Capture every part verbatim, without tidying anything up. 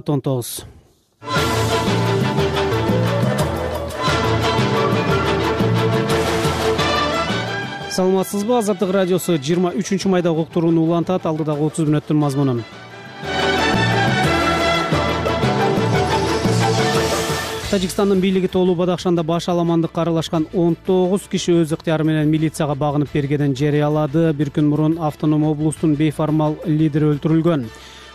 он тогуз. Саламатсызбы? Азаттык радиосу жыйырма үчүнчү майда уктурууну улантат. Алдыдагы отуз мүнөттүн мазмунун. Тажикстандын бийлиги тоолуу Бадахшанда баш аламандыкка аралашкан он тогуз киши өз ыктыяры менен милицияга багынып бергенин жарыялады. Бир күн мурун автоном облустун бейформал лидери өлтүрүлгөн.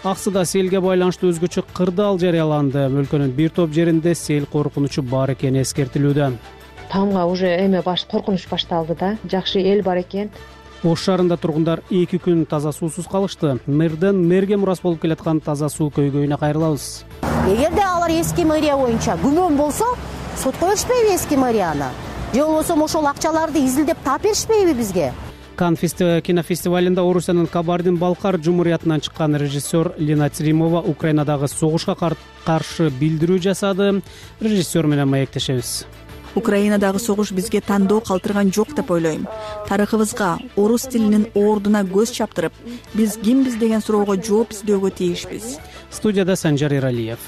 Аксыда селге байланыштуу өзгөчө кырдаал жарыяланды. Өлкөнүн бир топ жеринде сел коркунучу бар экени эскертилүүдө. Тамга уже эме баш коркунуч башталды да. Жакшы эл бар экен. Ош шаарында тургундар эки күн таза суусуз калышты. Мэрден мэрге мурас болуп келаткан таза суу көйгөйүнө кайрылабыз. Эгерде алар эски мэрия боюнча күмөн болсо, сотко беришпейби эски мэрияны? Же болбосо ошол акчаларды изилдеп таап беришпейби бизге? Канн кинофестивалында Орусиянын Кабардин-Балкар жумуриятынан чыккан режиссер Лина Цримова Украинадагы согушка каршы билдирүү жасады. Режиссер менен маектешебиз. Украинадагы согуш бизге тандоо калтырган жок деп ойлойм. Тарыхыбызга, орус тилинин ордуна көз чаптырып, биз кимбиз деген суроого жооп издөөгө тийишпиз. Студияда Санжар Иралиев.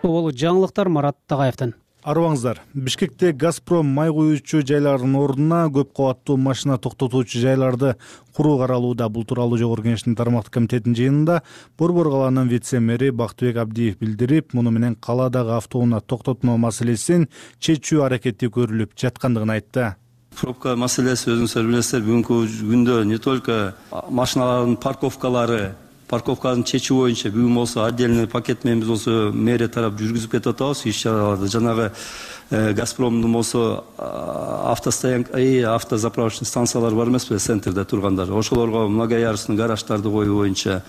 Ол жаңылыктар Марат Тагаевден. Арыбаңыздар, Бишкекте Газпром май куюучу жайлардын ордуна көп кабаттуу машина токтотуучу жайларды куруу каралууда. Бул тууралуу Жогорку Кеңештин тармактык комитетинин жыйынында Борбор калаанын вице-мэри Бактыбек Абдиев билдирип, муну менен калаадагы автоунаа токтотмо маселесин чечүү аракети көрүлүп жаткандыгын айтты. Пробка маселеси өзүңүздөр билесиздер, бүгүнкү күндө не только машиналардын парковкалары, парковканын чечүү боюнча бүгүн болсо отдельный пакет менен биз болсо мэрия тарап жүргүзүп кетип атабыз иш чараларды. Жанагы Газпромдун болсо автостоянка и автозаправочный станциялар бар эмеспи, центрде тургандар. Ошолорго многоярусный гараждарды коюу боюнча.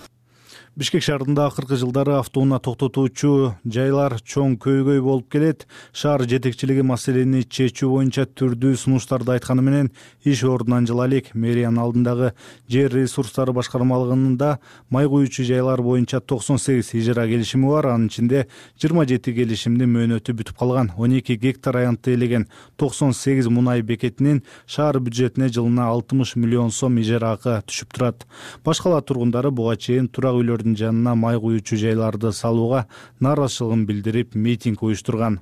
Бишкек шаарында акыркы жылдары автоунаа токтотуучу жайлар чоң көйгөй болуп келет. Шаар жетекчилиги маселени чечүү боюнча түрдүү сунуштарды айтканы менен иш ордунан жыла элек. Мэриянын алдындагы жер ресурстары башкармалыгында май куюучу жайлар боюнча токсон сегиз ижара келишими бар. Анын ичинде жыйырма жети келишимдин мөөнөтү бүтүп калган. он эки гектар аянтты ээлеген токсон сегиз мунай бекетинин шаар бюджетине жылына алтымыш миллион сом ижара акы түшүп турат. Баш кала тургундары буга чейин турак үйлөр жанына май куюучу жайларды салууга нааразычылыгын билдирип митинг уюштурган.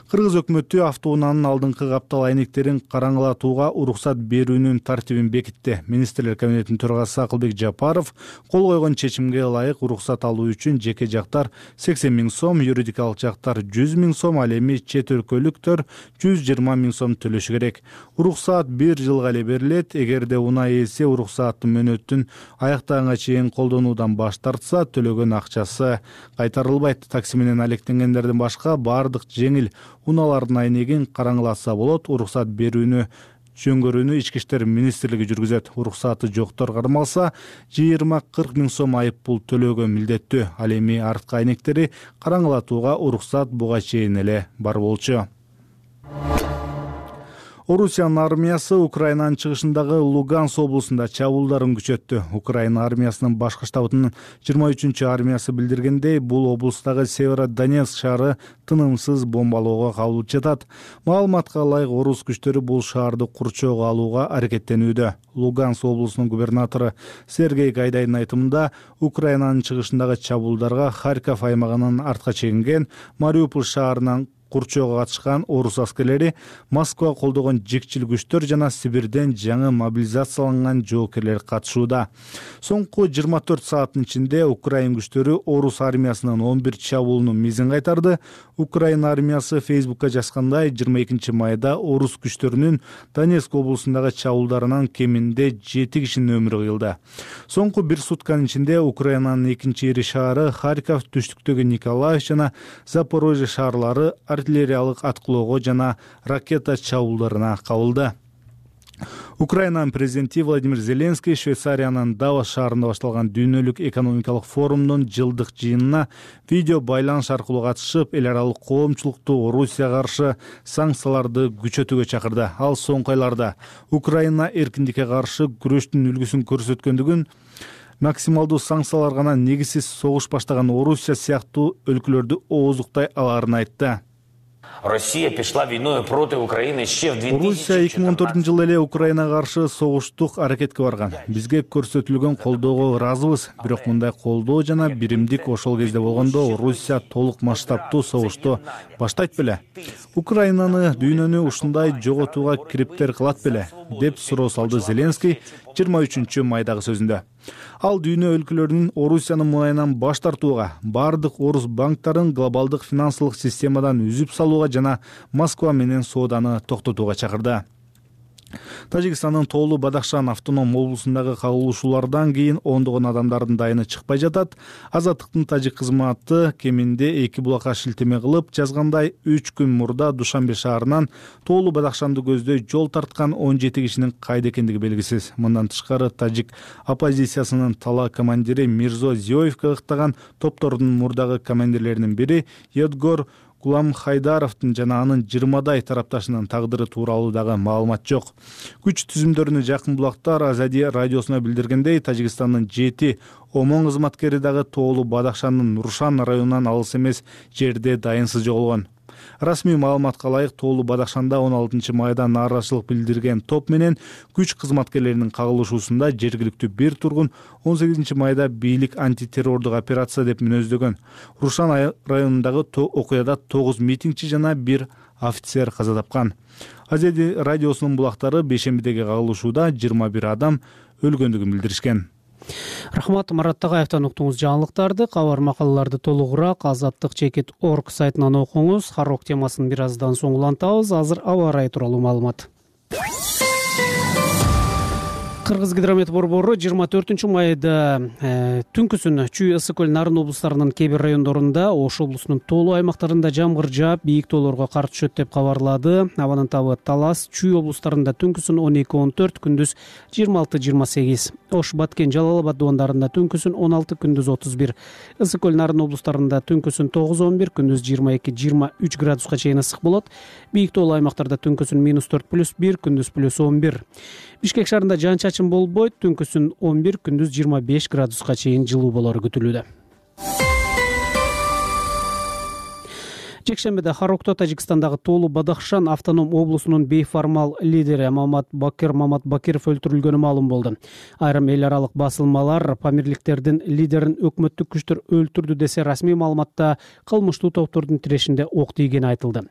Кыргыз өкмөтү автоунаанын алдыңкы каптал айнектерин караңгылатууга уруксат берүүнүн тартибин бекитти. Министрлер кабинетинин төрагасы Акылбек Жапаров кол койгон чечимге ылайык уруксат алуу үчүн жеке жактар сексен миң сом, юридикалык жактар жүз миң сом, ал эми чет өлкөлүктөр жүз жыйырма миң сом төлөшү керек. Уруксат бир жылга эле берилет. Эгерде унаа ээси уруксаттын мөөнөтүн аяктаганга чейин колдонуудан баш тартса, төлөгөн акчасы кайтарылбайт. Такси менен алектенгендердин башка бардык жеңил унаалардын айнегин караңгылатса болот. Уруксат берүүнү жөнгөрүүнү Ички иштер министрлиги жүргүзөт. Уруксаты жоктор кармалса, жыйырма кырк миң сом айып пул төлөөгө милдеттүү. Ал эми арткы айнектери караңгылатууга уруксат буга чейин эле бар болчу. Орусиянын армиясы Украинанын чыгышындагы Луганск облусунда чабуулдарын күчөттү. Украина армиясынын башкы штабынын жыйырма үчүнчү армиясы билдиргендей, бул облустагы Северодонецк шаары тынымсыз бомбалоого кабылып жатат. Маалыматка ылайык, орус күчтөрү бул шаарды курчоого алууга аракеттенүүдө. Луганск облусунун губернатору Сергей Гайдайдын айтымында, Украинанын чыгышындагы чабуулдарга Харьков аймагынын артка чегинген Мариуполь шаарынан курчоого катышкан орус аскерлери, Москва колдогон жикчил күчтөр жана Сибирден жаңы мобилизацияланган жоокерлер катышууда. Соңку жыйырма төрт сааттын ичинде Украин күчтөрү орус армиясынын он бир чабуулунун мизин кайтарды. Украина армиясы Фейсбукка жазгандай, жыйырма экинчи майда орус күчтөрүнүн Донецк облусундагы чабуулдарынан кеминде жети кишинин өмүрү кыйылды. Соңку бир сутканын ичинде Украинанын экинчи ири шаары Харьков, түштүктөгү Николаев жана Запорожье шаарлары артиллериялык аткылоого жана ракета чабуулдарына кабылды. Украинанын президенти Владимир Зеленский Швейцариянын Давос шаарында башталган дүйнөлүк экономикалык форумдун жылдык жыйынына видео байланыш аркылуу катышып, эл аралык коомчулукту Орусияга каршы санкцияларды күчөтүүгө чакырды. Ал соңку айларда Украина эркиндикке каршы күрөштүн үлгүсүн көрсөткөндүгүн, максималдуу санкциялар гана негизсиз согуш баштаган Орусия сыяктуу өлкөлөрдү ооздуктай аларын айтты. Россия пішла війною проти України ще в дві тисячі чотирнадцятому. Орусия эки миң он төртүнчү жылы эле Украинага каршы согуштук аракетке барган. Бизге көрсөтүлгөн колдоого ыраазыбыз, бирок мындай колдоо жана биримдик ошол кезде болгондо Орусия толук масштабтуу согушту баштайт беле? Украинаны, дүйнөнү ушундай жоготууга кириптер кылат беле? Деп суроо салды Зеленский жыйырма үчүнчү майдагы сөзүндө. Ал дүйнө өлкөлөрүнүн Орусиянын муайынан баш тартууга, бардык орус банктарын глобалдык финансылык системадан үзүп салууга жана Москва менен сооданы токтотууга чакырды. Тажикстандын Тоолу Бадахшан автоном облусундагы кагылышуулардан кийин ондогон адамдардын дайыны чыкпай жатат. Азаттыктын тажик кызматы кеминде эки булакка шилтеме кылып жазгандай, үч күн мурда Душанбе шаарынан Тоолу Бадахшанды көздөй жол тарткан он жети кишинин кайда экендиги белгисиз. Мындан тышкары тажик оппозициясынын тала командири Мирзо Зиоевке ыктаган топтордун мурдагы командирлеринин бири Едгор Гулам Хайдаровдун жана анын жыйырмадай тарапташынын тагдыры тууралуу дагы маалымат жок. Күч түзүмдөрүнө жакын булактар Азади радиосуна билдиргендей, Тажикстандын жети омон кызматкери дагы Тоолу Бадахшандын Рушан районунан алыс эмес жерде дайынсыз жоголгон. Расмий маалыматка ылайык, Тоолу Бадахшанда он алтынчы майда нааразычылык билдирген топ менен күч кызматкерлеринин кагылышуусунда жергиликтүү бир тургун он сегизинчи майда бийлик антитеррордук операция деп мүнөздөгөн. Рушан районундагы окуяда тогуз митингчи жана бир офицер каза тапкан. Азади радиосунун булактары бейшембидеги кагылышууда жыйырма бир адам өлгөндүгүн билдиришкен. Рахмат, Марат Тагаевтан уктуңуз жаңылыктарды. Кабар макалаларды толугураак азаттык чекит точка орг сайтынан окуңуз. Харок темасын бир аздан соң улантабыз. Азыр аба ырайы тууралуу маалымат. Кыргыз гидромет борбору жыйырма төртүнчү майда э, түнкүсүн Чүй, Ысык көл, Нарын облустарынын кээ бир райондорунда, Ош облусунун тоолуу аймактарында жамгыр жаап, бийик тоолорго кар түшөт деп кабарлады. Абанын табы Талас, Чүй облустарында түнкүсүн он эки он төрт, күндүз жыйырма алты жыйырма сегиз. Ош, Баткен, Жалал Абад дубандарында түнкүсүн он алты, күндүз отуз бир. Ысык көл, Нарын облустарында түнкүсүн тогуз он бир, күндүз жыйырма эки жыйырма үч градуска чейин ысык болот. Бийик тоолуу аймактарда түнкүсүн минус төрт плюс бир, күндүз плюс он бир. Бишкек шаарында жаан чачын болбойт, түнкүсүн он бир, күндүз жыйырма беш градуска чейин жылуу болору күтүлүүдө. Жекшембиде Харокто Тажикстандагы Тоолу Бадахшан автоном облусунун бейформал лидери Мамат Бакир Мамат Бакиров өлтүрүлгөнү маалым болду. Айрым эл аралык басылмалар памирликтердин лидерин өкмөттүк күчтөр өлтүрдү десе, расмий маалыматта кылмыштуу топтордун тирешинде ок тийгени айтылды.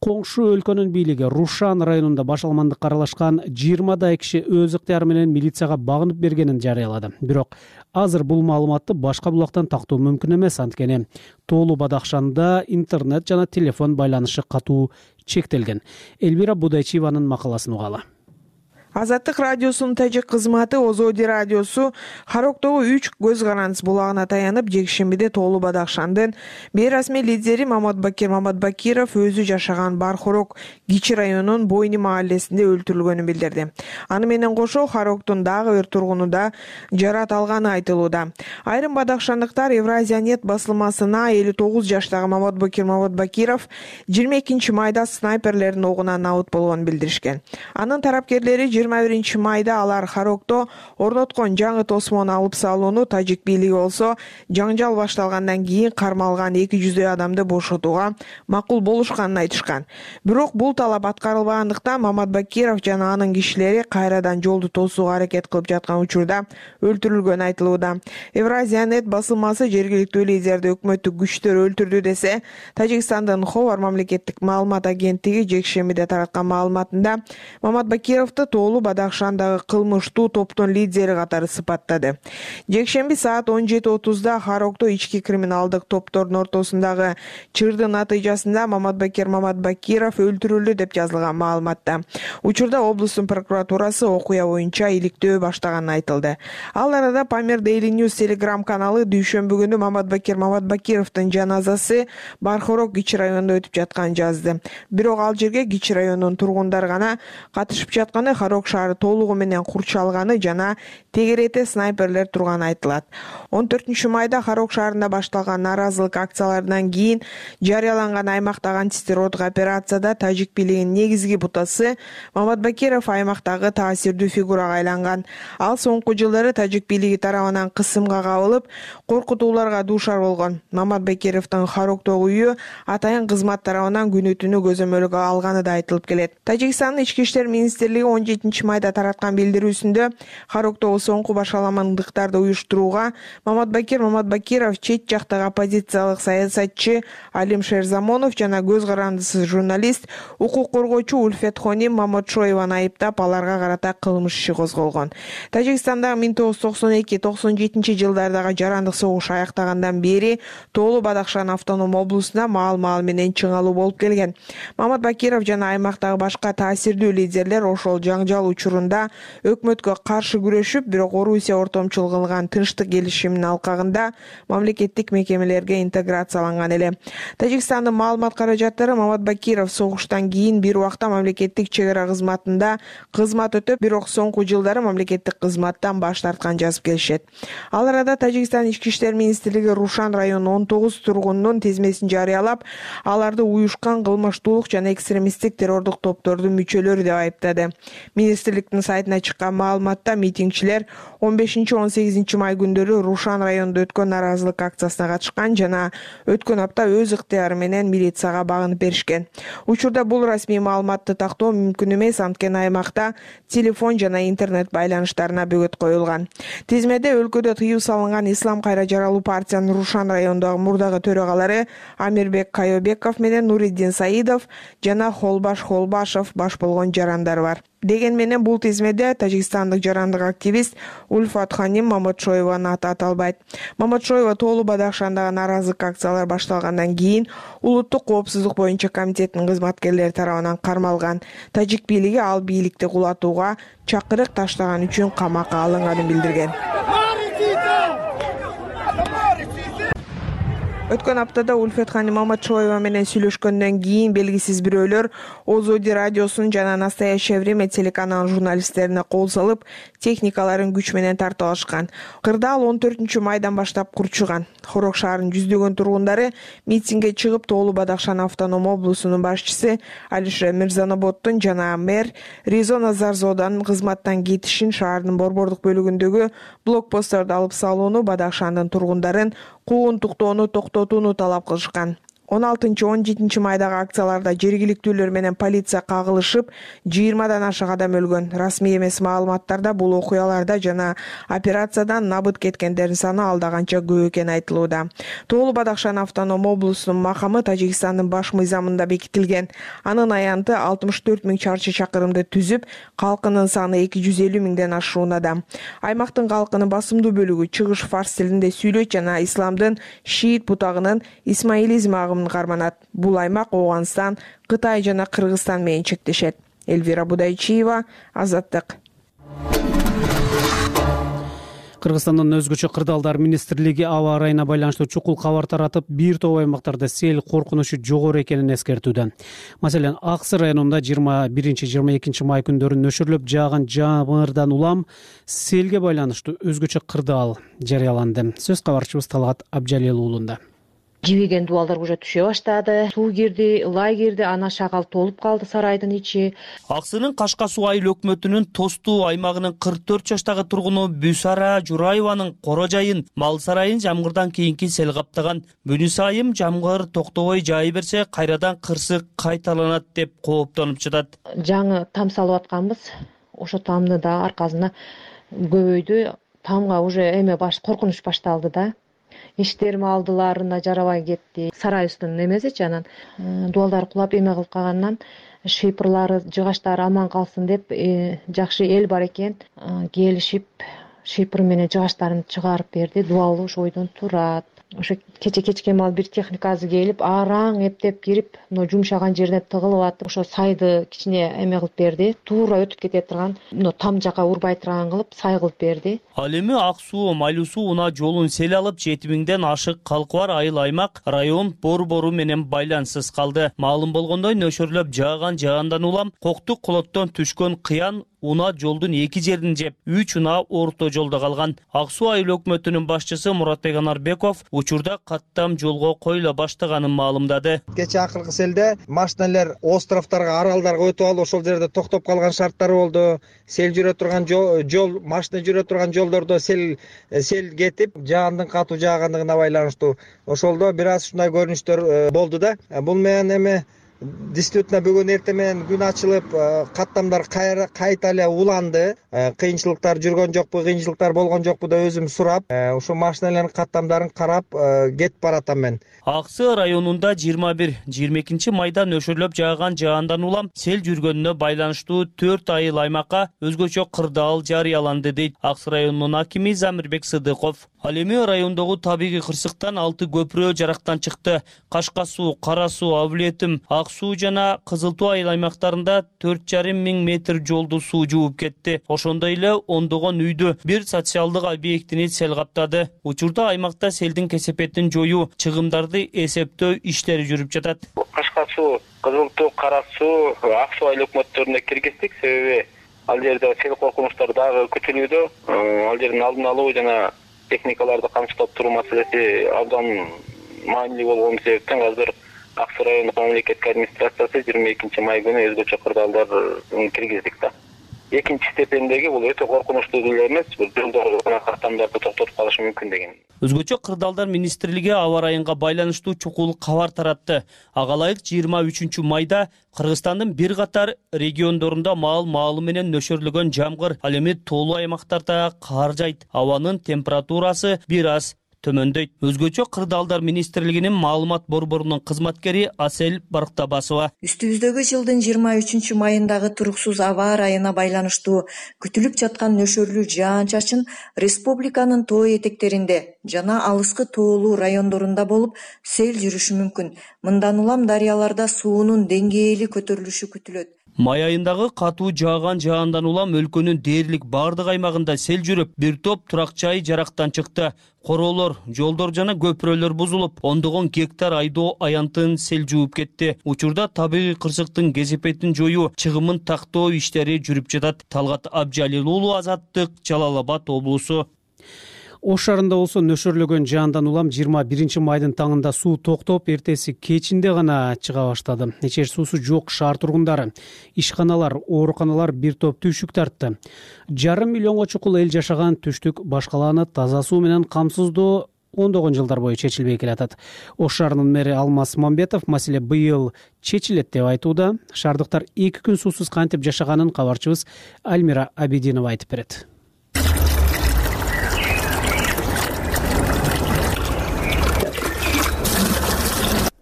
Коңшу өлкөнүн бийлиги Рушан районунда башаламандыкка аралашкан жыйырмадай киши өз ыктыяры менен милицияга багынып бергенин жарыялады. Бирок азыр бул маалыматты башка булактан тактоо мүмкүн эмес, анткени Тоолу Бадахшанда интернет жана телефон байланышы катуу чектелген. Эльвира Будайчиеванын макаласын угалы. Азаттык радиосунун тажик кызматы Озоди радиосу Хароктогу үч көз карандыс булагына таянып, жекшембиде Тоолу Бадахшандын бейрасмий лидери Мамат Бакир Мамат Бакиров өзү жашаган Бархорок Кичи районунун Бойни мааллесинде өлтүрүлгөнүн билдирди. Аны менен кошо Хароктун дагы бир тургуну да жарат алганы айтылууда. Айрым бадахшандыктар Евразия нет басылмасына элүү тогуз жаштагы Мамат Бакир Мамат Бакиров жыйырма экинчи майда снайперлердин огунан абыт болгонун билдиришкен. Анын тарапкерлери жыйырма биринчи майда алар Харокто орноткон жаңы тосмону алып салууну, тажик бийлиги болсо жаңжал башталгандан кийин кармалган эки жүздөй адамды бошотууга макул болушканын айтышкан. Бирок бул талап аткарылбагандыктан Мамат Бакиров жана анын кишилери кайрадан жолду тосууга аракет кылып жаткан учурда өлтүрүлгөнү айтылууда. Евразия нет басылмасы жергиликтүү лидерди өкмөттүк күчтөр өлтүрдү десе, Тажикстандын Ховар мамлекеттик маалымат агенттиги жекшембиде тараткан маалыматында Мамат Бакировду Тоолу Бадахшандагы кылмыштуу топтун лидери катары сыпаттады. Жекшемби саат он жети отузда Харокто ички криминалдык топтордун ортосундагы чырдын натыйжасында Мамат Бакир Мамат Бакиров өлтүрүлдү деп жазылган маалыматта. Учурда облустун прокуратурасы окуя боюнча иликтөө баштаганын айтылды. Ал арада Памир Daily News Telegram каналы дүйшөмбү күнү Мамат Бакир Мамат Бакировдун жаназасы Бархорок Кичи районунда өтүп жатканын жазды. Бирок ал жерге Кичи районунун тургундары гана катышып жатканы Харок Харок шаары толугу менен курчалганы жана тегерете снайперлер турганы айтылат. он төртүнчү майда Харок шаарында башталган нааразылык акцияларынан кийин жарыяланган аймактагы антитеррорлук операцияда тажик бийлигинин негизги бутасы Мамат Бакиров аймактагы таасирдүү фигурага айланган. Ал соңку жылдары тажик бийлиги тарабынан кысымга кабылып, коркутууларга дуушар болгон. Мамат Бакировдун Хароктогу үйү атайын кызмат тарабынан күнү түнү көзөмөлгө алганы да айтылып келет. Тажикстандын ички иштер министрлиги он жетинчи майда тараткан билдирүүсүндө Хароктогу соңку башаламандыктарды уюштурууга Мамат Бакир Мамат Бакиров, чет жактагы оппозициялык саясатчы Алим Шерзамонов жана көз карандысыз журналист, укук коргоочу Ульфет Хоним Маматшоеваны айыптап, аларга карата кылмыш иши козголгон. Тажикстандагы миң тогуз жүз токсон эки токсон жетинчи жылдардагы жарандык согуш аяктагандан бери Тоолу Бадахшан автоном облусуна маал-маал менен чыңалуу болуп келген. Мамат Бакиров жана аймактагы башка таасирдүү лидерлер ошол жаңжал учурунда өкмөткө каршы күрөшүп, бирок Орусия ортомчулук кылган тынчтык келишиминин алкагында мамлекеттик мекемелерге интеграцияланган эле. Тажикстандын маалымат каражаттары Мамат Бакиров согуштан кийин бир убакта мамлекеттик чек ара кызматында кызмат өтөп, бирок соңку жылдары мамлекеттик кызматтан баш тарткан жазып келишет. Ал арада Тажикстан ички иштер министрлиги Рушан районунун он тогуз тургунунун тизмесин жарыялап, аларды уюшкан кылмыштуулук жана экстремисттик террордук топтордун мүчөлөрү деп айыптады. Министрликтин сайтына чыккан маалыматта митингчилер он бешинчи он сегизинчи май күндөрү Рушан районунда өткөн нааразылык акциясына катышкан жана өткөн апта өз ыктыяры менен милицияга багынып беришкен. Учурда бул расмий маалыматты тактоо мүмкүн эмес, анткени аймакта телефон жана интернет байланыштарына бөгөт коюлган. Тизмеде өлкөдө тыюу салынган Ислам кайра жаралуу партиянын Рушан районундагы мурдагы төрөгалары Амирбек Кайобеков менен Нуриддин Саидов жана Холбаш Холбашов баш болгон жарандар бар. Деген менен бул тизмеде тажикстандык жарандык активист Ульфат Хоним Маматшоеванын аты аталбайт. Маматшоева Тоолу Бадахшандагы нааразылык акциялар башталгандан кийин улуттук коопсуздук боюнча комитеттин кызматкерлери тарабынан кармалган. Тажик бийлиги ал бийликти кулатууга чакырык таштаган үчүн камакка алынганын билдирген. Өткөн аптада Ульфет Хоним Маматшоева менен сүйлөшкөндөн кийин белгисиз бирөөлөр Озоди радиосунун жана Настоящее время телеканалынын журналисттерине кол салып, техникаларын күч менен тартып алышкан. Кырдаал он төртүнчү майдан баштап курчуган. Харок шаарынын жүздөгөн тургундары митингге чыгып, Тоолу Бадахшан автоном облусунун башчысы Алишер Мирзаноботтун жана мэр Ризона Зарзоданын кызматтан кетишин, шаардын борбордук бөлүгүндөгү блокпостторду алып салууну, Бадахшандын тургундарын куугунтуктоону токтотууну талап кылышкан. он алтынчы он жетинчи майдагы акцияларда жергиликтүүлөр менен полиция кагылышып, жыйырмадан ашык адам өлгөн. Расмий эмес маалыматтарда бул окуяларда жана операциядан набыт кеткендердин саны алда канча көп экени айтылууда. Тоолу Бадахшан автоном облусунун макамы Тажикстандын баш мыйзамында бекитилген. Анын аянты алтымыш төрт миң чарчы чакырымды түзүп, калкынын саны эки жүз элүү миңден ашуuna да. Аймактын калкынын басымдуу бөлүгү чыгыш фарс тилинде сүйлөйт жана исламдын шиит бутагынын исмаилизм агымын карманат. Бул аймак Ооганстан, Кытай жана Кыргызстан менен чектешет. Эльвира Будайчиева, Азаттык. Кыргызстандын өзгөчө кырдаалдар министрлиги аба ырайына байланыштуу чукул кабар таратып, бир топ аймактарда сел коркунучу жогору экенин эскертүүдө. Маселен, Ак Сый районунда жыйырма биринчи жыйырма экинчи май күндөрү нөшөрлөп жааган жамырдан улам селге байланыштуу өзгөчө кырдаал жарыяланды. Сөз кабарчыбыз Талгат Абжалел уулунда. Жибиген дубалдар уже түшө баштады. Суу кирди, ылай кирди, ана шагал толуп калды сарайдын ичи. Ак Сыйдын Кашка суу айыл өкмөтүнүн Тостуу аймагынын кырк төрт жаштагы тургуну Бүсара Жураеванын кора жайын, мал сарайын жамгырдан кийинки сел каптаган. Бүнүс айым жамгыр токтобой жаай берсе, кайрадан кырсык кайталанат деп кооптонуп жатат. Жаңы там салып атканбыз. Ошо тамны да аркасына көбөйдү. Тамга уже эме баш коркунуч башталды да. Иштерими алдыларына жарабай кетти. Сарайыбыздын эмесичи, анан дубалдар кулап эме кылып калгандан шыйпырлары, жыгачтары аман калсын деп жакшы эл бар экен, келишип шыйпыр менен жыгачтарын чыгарып берди. Дубал ошо бойдон турат. Ошо кече кечке маал бир техника азы келип, араң эптеп кирип, мына жумшаган жерине тыгылып атып, ошо сайды кичине эме кылып берди. Туура өтүп кете турган, мына там жака урбай турган кылып, сай кылып берди. Ал эми Ак суу, Майлуу суу унаа жолун сел алып, жети миңден ашык калкы бар айыл аймак район борбору менен байланыссыз калды. Маалым болгондой, нөшөрлөп жааган жагандан улам коктук колоттон түшкөн кыян унаа жолдун эки жерин жеп, үч унаа орто жолдо калган. Ак Суу айыл өкмөтүнүн башчысы Муратбек Анарбеков учурда каттам жолго коюла баштаганын маалымдады. Кечээ акыркы селде машиналар островторго, аралдарга өтүп алып, ошол жерде токтоп калган шарттар болду. Сел жүрө турган жол, машина жүрө турган жолдордо сел сел кетип, жаандын катуу жаагандыгына байланыштуу ошолдо бир аз ушундай көрүнүштөр болду да. Бул менен эми действительно бүгүн эртең менен күн ачылып, каттамдар кайта эле уланды. Кыйынчылыктар жүргөн жокпу, кыйынчылыктар болгон жокпу деп өзүм сурап, ошо машиналардын каттамдарын карап кетип баратам мен. Аксы районунда жыйырма бир жыйырма экинчи майда нөшөрлөп жааган жаандан улам сел жүргөнүнө байланыштуу төрт айыл аймакка өзгөчө кырдаал жарыяланды дейт Аксы районунун акими Замирбек Сыдыков. Ал эми райондогу табигый кырсыктан алты көпүрө жарактан чыкты. Кашка суу, Кара суу, Абулетим, Ак Суу жана Кызыл Туу айыл аймактарында төрт жарым миң метр жолду суу жууп кетти. Ошондой эле ондогон үйдү, бир социалдык объектини сел каптады. Учурда аймакта селдин кесепетин жоюу, чыгымдарды эсептөө иштери жүрүп жатат. Кашка суу, Кызыл Туу, Кара суу, Ак Суу айыл өкмөттөрүнө киргиздик, себеби ал жерде сел коркунучтары дагы күтүлүүдө. Ал жердин алдын алуу жана техникаларды камсыздап туруу маселеси абдан маанилүү болгон себептен азыр Ак Суу райондук мамлекеттик администрациясы жыйырма экинчи май күнү өзгөчө кырдаалдарды киргиздик да. Экинчи степендеги бул өтө коркунучтуу деле эмес, бир жолдорду жана каттамдарды токтотуп калышы мүмкүн деген. Өзгөчө кырдаалдар министрлиги аба ырайынга байланыштуу чукул кабар таратты. Ага ылайык жыйырма үчүнчү майда Кыргызстандын бир катар региондорунда маал маалы менен нөшөрлөгөн жамгыр, ал эми тоолуу аймактарда кар жайт. Абанын температурасы бир аз төмөндөйт. Өзгөчө кырдаалдар министрлигинин маалымат борборунун кызматкери Асел Барктабасова. Үстүбүздөгү жылдын жыйырма үчүнчү майындагы туруксуз аба ырайына байланыштуу күтүлүп жаткан нөшөрлүү жаан-чачын республиканын тоо этектеринде жана алыскы тоолуу райондорунда болуп сел жүрүшү мүмкүн. Мындан улам дарыяларда суунун деңгээли көтөрүлүшү күтүлөт. Май айындагы катуу жааган жаандан улам өлкөнүн дээрлик бардык аймагында сел жүрүп, бир топ турак жай жарактан чыкты. Короолор, жолдор жана көпүрөлөр бузулуп, ондогон гектар айдоо аянтын сел жууп кетти. Учурда табигый кырсыктын кесепетин жоюу, чыгымын тактоо иштери жүрүп жатат. Талгат Абжалил уулу, Азаттык, Жалал Абад облусу. Ош шаарында болсо нөшөрлөгөн жаандан улам жыйырма биринчи майдын таңында суу токтоп, эртеси кечинде гана чыга баштады. Ичер суусу жок шаар тургундары, ишканалар, ооруканалар бир топ түйшүк тартты. Жарым миллионго чукул эл жашаган түштүк баш калааны таза суу менен камсыздоо ондогон жылдар бою чечилбей келатат. Ош шаарынын мэри Алмаз Мамбетов маселе быйыл чечилет деп айтууда. Шаардыктар эки күн суусуз кантип жашаганын кабарчыбыз Альмира Абидинова айтып берет.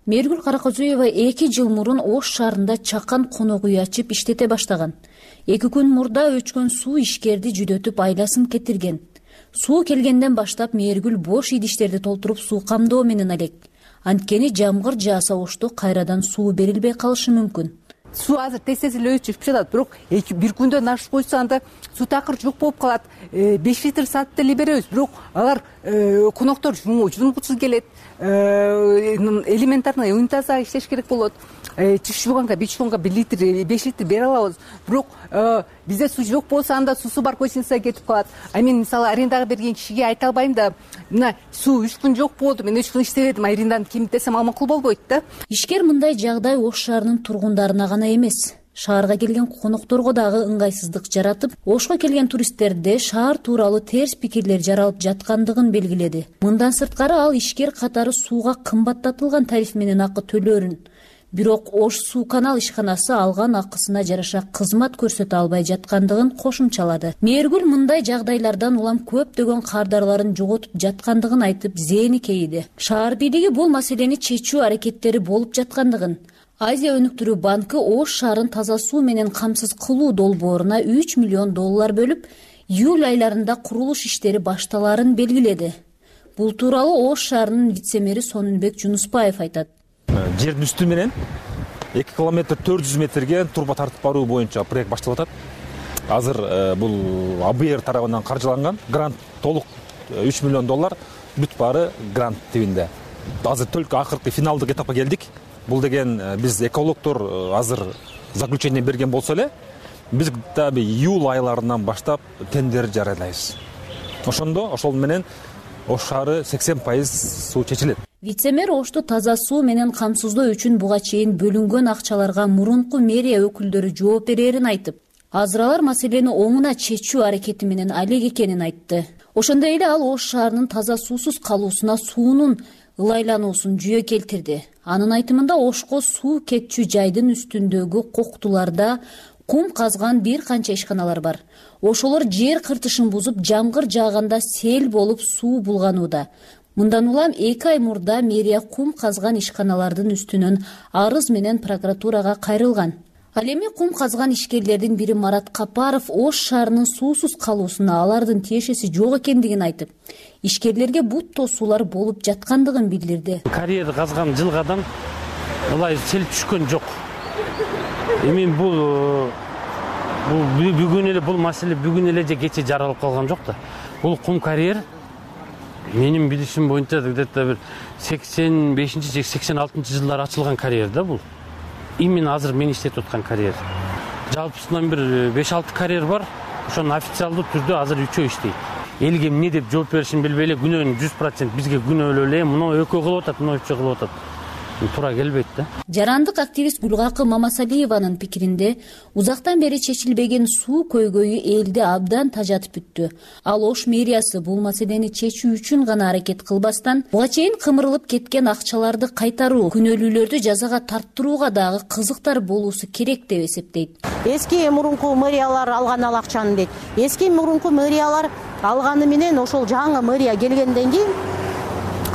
Мээргүл Каракөзүева эки жыл мурун Ош шаарында чакан конок үй ачып иштете баштаган. Эки күн мурда өчкөн суу ишкерди жүдөтүп айласын кетирген. Суу келгенден баштап Мээргүл бош идиштерди толтуруп суу камдоо менен алек. Анткени жамгыр жааса Ошто кайрадан суу берилбей калышы мүмкүн. Суу азыр тез-тез эле өчүп жатат, бирок бир күндөн ашып койсо анда суу такыр жок болуп калат. беш литр саатта эле беребиз, бирок алар коноктор жунгусуз келет. Элементарный унитазга иштеш керек болот. Чиш жууганга, бич жууганга бир литр, беш литр бере алабыз. Бирок бизде суу жок болсо анда суусу бар гостиница кетип калат. А мен мисалы арендага берген кишиге айта албайм да, мына суу үч күн жок болду, мен үч күн иштебедим, аренданы ким десем ал макул болбойт да. Ишкер мындай жагдай Ош шаарынын тургундарына гана эмес, шаарга келген конокторго дагы ыңгайсыздык жаратып, Ошко келген туристтерде шаар тууралуу терс пикирлер жаралып жаткандыгын белгиледи. Мындан сырткары ал ишкер катары сууга кымбаттатылган тариф менен акы төлөөрүн. Бирок Ош суу канал ишканасы алган акысына жараша кызмат көрсөтө албай жаткандыгын кошумчалады. Мээргүл мындай жагдайлардан улам көптөгөн кардарларын жоготуп жаткандыгын айтып, зээни кейиди. Шаар бийлиги бул маселени чечүү аракеттери болуп жаткандыгын, Азия өнүктүрүү банкы Ош шаарын таза суу менен камсыз кылуу долбооруна үч миллион доллар бөлүп, июль айларында курулуш иштери башталаарын белгиледи. Бул тууралуу Ош шаарынын вице-мэри Сонунбек Жунуспаев айтат. Жердин үстү менен эки километр төрт жүз метрге труба тартып баруу боюнча проект башталып атат. Азыр бул А Б Р тарабынан каржыланган, грант толук үч миллион доллар, бүт баары грант тибинде. Азыр только акыркы финалдык этапка келдик. Бул деген биз экологдор азыр заключение берген болсо эле, биз дагы июль айларынан баштап тендер жарыялайбыз. Ошондо ошол менен Ош шаары сексен пайыз суу чечилет. Вице-мэр Ошту таза суу менен камсыздоо үчүн буга чейин бөлүнгөн акчаларга мурунку мэрия өкүлдөрү жооп берерин айтып, азыр алар маселени оңуна чечүү аракети менен алек экенин айтты. Ошондой эле ал Ош шаарынын таза суусуз калуусуна суунун ылайлануусун жүйө келтирди. Анын айтымында Ошко суу кетчү жайдын үстүндөгү коктуларда кум казган бир канча ишканалар бар. Ошолор жер кыртышын бузуп, жамгыр жааганда сел болуп суу булганууда. Мындан улам эки ай мурда мэрия кум казган ишканалардын үстүнөн арыз менен прокуратурага кайрылган. Ал эми кум казган ишкерлердин бири Марат Капаров Ош шаарынын суусуз калуусуна алардын тиешеси жок экендигин айтып, ишкерлерге бут тосуулар болуп жаткандыгын билдирди. Карьер казган жылгадан ылай сел түшкөн жок. Эми бул бүгүн эле бул маселе бүгүн эле же кече жаралып калган жок да. Бул кум карьер менин билишим боюнча где-то бир сексен бешинчи же сексен алтынчы жылдары ачылган карьер да бул. Именно азыр мен иштетип аткан карьер. Жалпысынан бир беш алты карьер бар. Ошонун официалдуу түрдө азыр үчөө иштейт. Элге эмне деп жооп беришин билбей эле күнөөнү жүз процент бизге күнөөлөө эле мына экөө кылып атат, мына үчөө кылып атат. Туура келбейт да. Жарандык активист Гүлгакы Мамасалиеванын пикиринде узактан бери чечилбеген суу көйгөйү элди абдан тажатып бүттү. Ал Ош мэриясы бул маселени чечүү үчүн гана аракет кылбастан, буга чейин кымырылып кеткен акчаларды кайтаруу, күнөөлүүлөрдү жазага тарттырууга дагы кызыктар болуусу керек деп эсептейт. Эски мурунку мэриялар алган ал акчаны дейт. Эски мурунку мэриялар алганы менен ошол жаңы мэрия келгенден кийин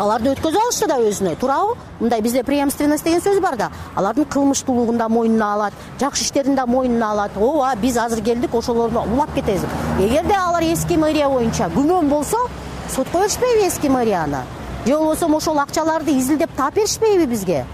аларды өткөзө алышты да өзүнө, туурабы? Мындай бизде преемственность деген сөз бар да. Алардын кылмыштуулугун да мойнуна алат, жакшы иштерин да мойнуна алат. Ооба, биз азыр келдик, ошолорду улап кетебиз. Эгерде алар эски мэрия боюнча күмөн болсо, сотко беришпейби эски мэрияны? Же болбосо ошол акчаларды изилдеп таап беришпейби бизге?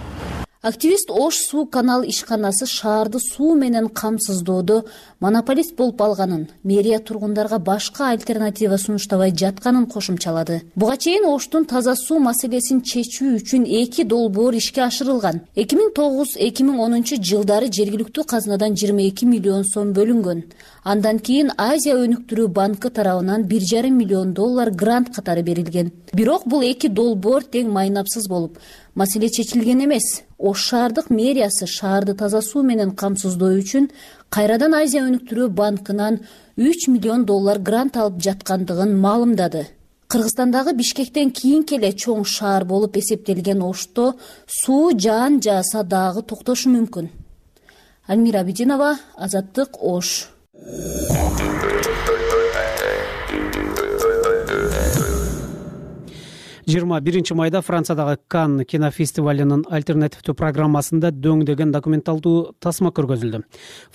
Активист Ош суу канал ишканасы шаарды суу менен камсыздоодо монополист болуп алганын, мэрия тургундарга башка альтернатива сунуштабай жатканын кошумчалады. Буга чейин Оштун таза суу маселесин чечүү үчүн эки долбоор ишке ашырылган. эки миң тогуз эки миң онунчу жылдары жергиликтүү казнадан жыйырма эки миллион сом бөлүнгөн. Андан кийин Азия өнүктүрүү банкы тарабынан бир жарым миллион доллар грант катары берилген. Бирок бул эки долбоор тең майнапсыз болуп, маселе чечилген эмес. Ош шаардык мэриясы шаарды таза суу менен камсыздоо үчүн кайрадан Азия өнүктүрүү банкынан үч миллион доллар грант алып жаткандыгын маалымдады. Кыргызстандагы Бишкектен кийинки эле чоң шаар болуп эсептелген Ошто суу жаан жааса дагы токтошу мүмкүн. Альмира Абидинова, Азаттык, Ош. жыйырма биринчи майда Франциядагы Канн кинофестивалынын альтернативдүү программасында дөңдөгөн документалдуу тасма көргөзүлдү.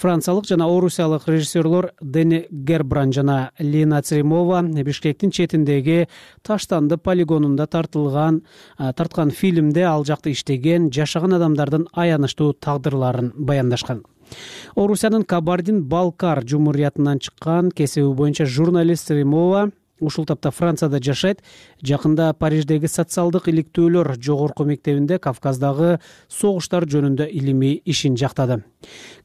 Франциялык жана орусиялык режиссерлор Дени Гербран жана Лина Церемова Бишкектин четиндеги Таштанды полигонунда тартылган тарткан фильмде ал жакта иштеген, жашаган адамдардын аянычтуу тагдырларын баяндашкан. Орусиянын Кабардин-Балкар жумуриятынан чыккан кесиби боюнча журналист Церемова ушул тапта Францияда жашайт. Жакында Париждеги социалдык иликтөөлөр жогорку мектебинде Кавказдагы согуштар жөнүндө илимий ишин жактады.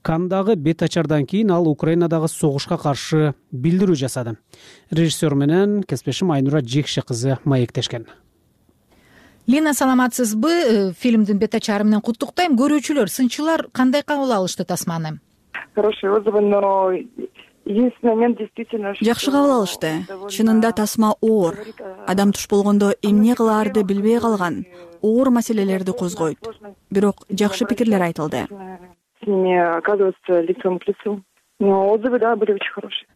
Канндагы бет ачардан кийин ал Украинадагы согушка каршы билдирүү жасады. Режиссер менен кесиптешим Айнура Жекше кызы маектешкен. Лина, саламатсызбы? Фильмдин бет ачары менен куттуктайм. Көрүүчүлөр, сынчылар кандай кабыл алышты тасманы? Хорошие отзывы, но единственный момент действительно... Жакшы кабыл алышты. Чынында тасма оор. Адам туш болгондо эмне кылаарды билбей калган. Оор маселелерди козгойт. Бирок жакшы пикирлер айтылды. С ними оказываться лицом к лицу. Но отзывы, да, были очень хорошие.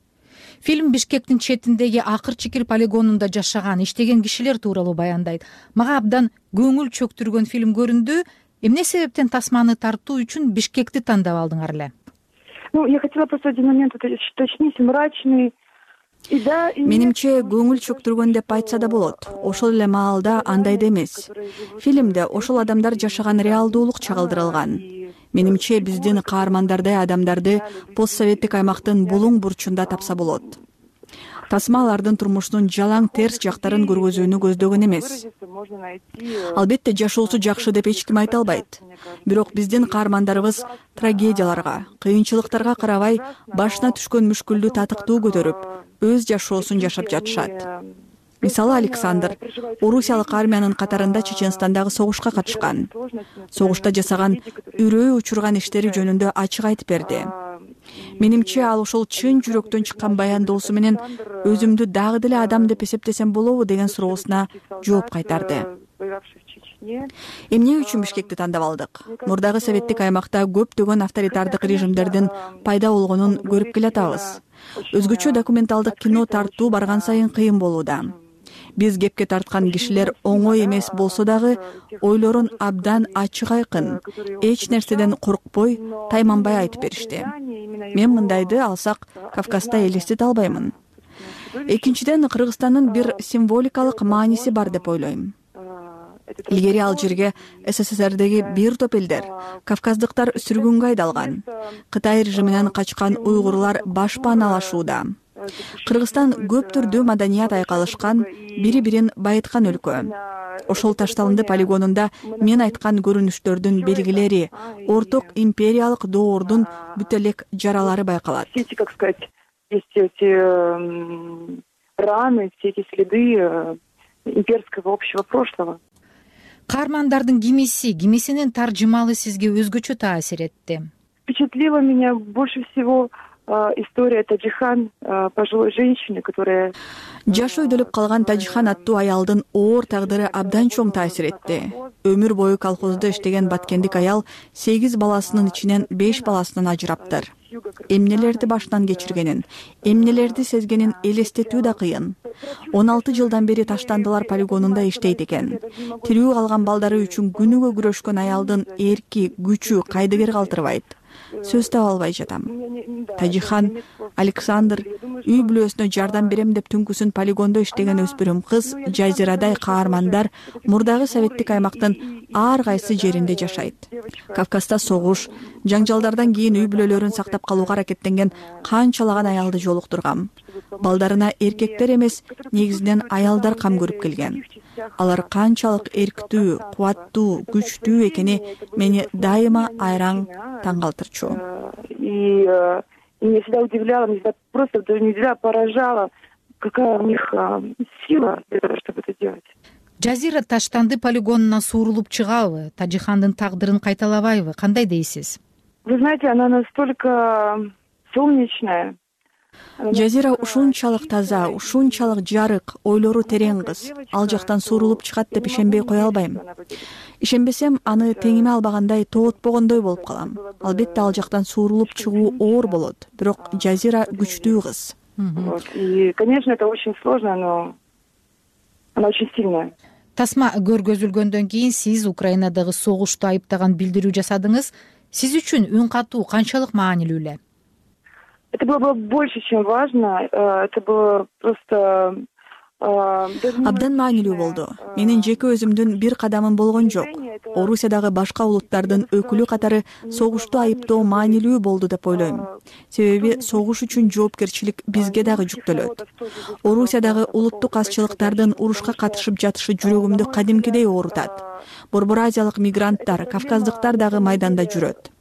Фильм Бишкектин четиндеги Акыр-Чикир полигонунда жашаган, иштеген кишилер тууралуу баяндайт. Мага абдан көңүл чөктүргөн фильм көрүндү. Эмне себептен тасманы тартуу үчүн Бишкекти тандап алдыңар эле? Ну, я хотела просто один момент уточнить, мрачный. Менимче көңүл чөктүргөн деп айтса да болот. Ошол эле маалда андай да эмес. Фильмде ошол адамдар жашаган реалдуулук чагылдырылган. Менимче биздин каармандардай адамдарды постсоветтик аймактын булуң бурчунда тапса болот. Тасма алардын турмушунун жалаң терс жактарын көргөзүүнү көздөгөн эмес. Албетте жашоосу жакшы деп эч ким айта албайт. Бирок биздин каармандарыбыз трагедияларга, кыйынчылыктарга карабай башына түшкөн мүшкүлдү татыктуу көтөрүп, өз жашоосун жашап жатышат. Мисалы Александр орусиялык армиянын катарында Чеченстандагы согушка катышкан. Согушта жасаган үрөө учурган иштери жөнүндө ачык айтып берди. Менимче ал ошол чын жүрөктөн чыккан баяндоосу менен өзүмдү дагы деле адам деп эсептесем болобу деген суроосуна жооп кайтарды. Эмне үчүн Бишкекти тандап алдык? Мурдагы советтик аймакта көптөгөн авторитардык режимдердин пайда болгонун көрүп келатабыз. Өзгөчө документалдык кино тартуу барган сайын кыйын болууда. Биз кепке тарткан кишилер оңой эмес болсо дагы ойлорун абдан ачык айкын, эч нерседен коркпой, тайманбай айтып беришти. Мен мындайды алсак Кавказда элестете албаймын. Экинчиден, Кыргызстандын бир символикалык мааниси бар деп ойлойм. Илгери ал жерге СССРдеги бир топ элдер, кавказдыктар сүргүнгө айдалган. Кытай режиминен качкан уйгурлар баш пааналашууда. Кыргызстан көп түрдүү маданият айкалышкан, бири-бирин байыткан өлкө. Ошол Ташталынды полигонунда мен айткан көрүнүштөрдүн белгилери, орток империялык доордун бүт элек жаралары байкалат. Раны, все эти следы имперского общего прошлого. Каармандардын кимиси, кимисинин таржымалы сизге өзгөчө таасир этти? Впечатлила меня больше всего история Таджихан, пожилой женщины, которая... Жашы өйдөлүп калган Таджихан аттуу аялдын оор тагдыры абдан чоң таасир этти. Өмүр бою колхоздо иштеген баткендик аял сегиз баласынын ичинен беш баласынан ажыраптыр. Эмнелерди башынан кечиргенин, эмнелерди сезгенин элестетүү да кыйын. он алты жылдан бери Таштандылар полигонунда иштейт экен. Тирүү калган балдары үчүн күнүгө күрөшкөн аялдын эрки, күчү кайдыгер калтырбайт. Сөз таба албай жатам. Таджихан, Александр үй бүлөсүнө жардам берем деп түнкүсүн полигондо иштеген өспүрүм кыз, Жазирадай каармандар мурдагы советтик аймактын ар кайсы жеринде жашайт. Кавказда согуш, жаңжалдардан кийин үй бүлөлөрүн сактап калууга аракеттенген канчалаган аялды жолуктургам. Балдарына эркектер эмес, негизинен аялдар кам көрүп келген. Алар канчалык эрктүү, кубаттуу, күчтүү экени мени дайыма айраң таң калтырчу. И меня всегда удивляло, меня всегда просто не всегда поражало, какая у них сила для того, чтобы это делать. Жазира Таштанды полигонуна суурулуп чыгабы? Таджихандын тагдырын кайталабайбы? Кандай дейсиз? Вы знаете, она настолько солнечная. Жазира ушунчалык таза, ушунчалык жарык, ойлору терең кыз. Ал жактан суурулуп чыгат деп ишенбей кое албайм. Ишенбесем, аны теңиме албагандай тоотпогондой болуп калам. Албетте ал жактан суурулуп чыгуу оор болот, бирок Жазира күчтүү кыз. И, конечно, это очень сложно, но она очень сильная. Тасма көргөзүлгөндөн кийин сиз Украинадагы согушту айыптаган билдирүү жасадыңыз. Сиз үчүн үн катуу канчалык маанилүү эле? Это было больше, чем важно. Это было просто... Абдан маанилүү болду. Менин жеке өзүмдүн бир кадамым болгон жок. Орусиядагы башка улуттардын өкүлү катары согушту айыптоо маанилүү болду деп ойлойм. Себеби согуш үчүн жоопкерчилик бизге дагы жүктөлөт. Орусиядагы улуттук азчылыктардын урушка катышып жатышы жүрөгүмдү кадимкидей оорутат. Борбор азиялык мигранттар, кавказдыктар дагы майданда жүрөт.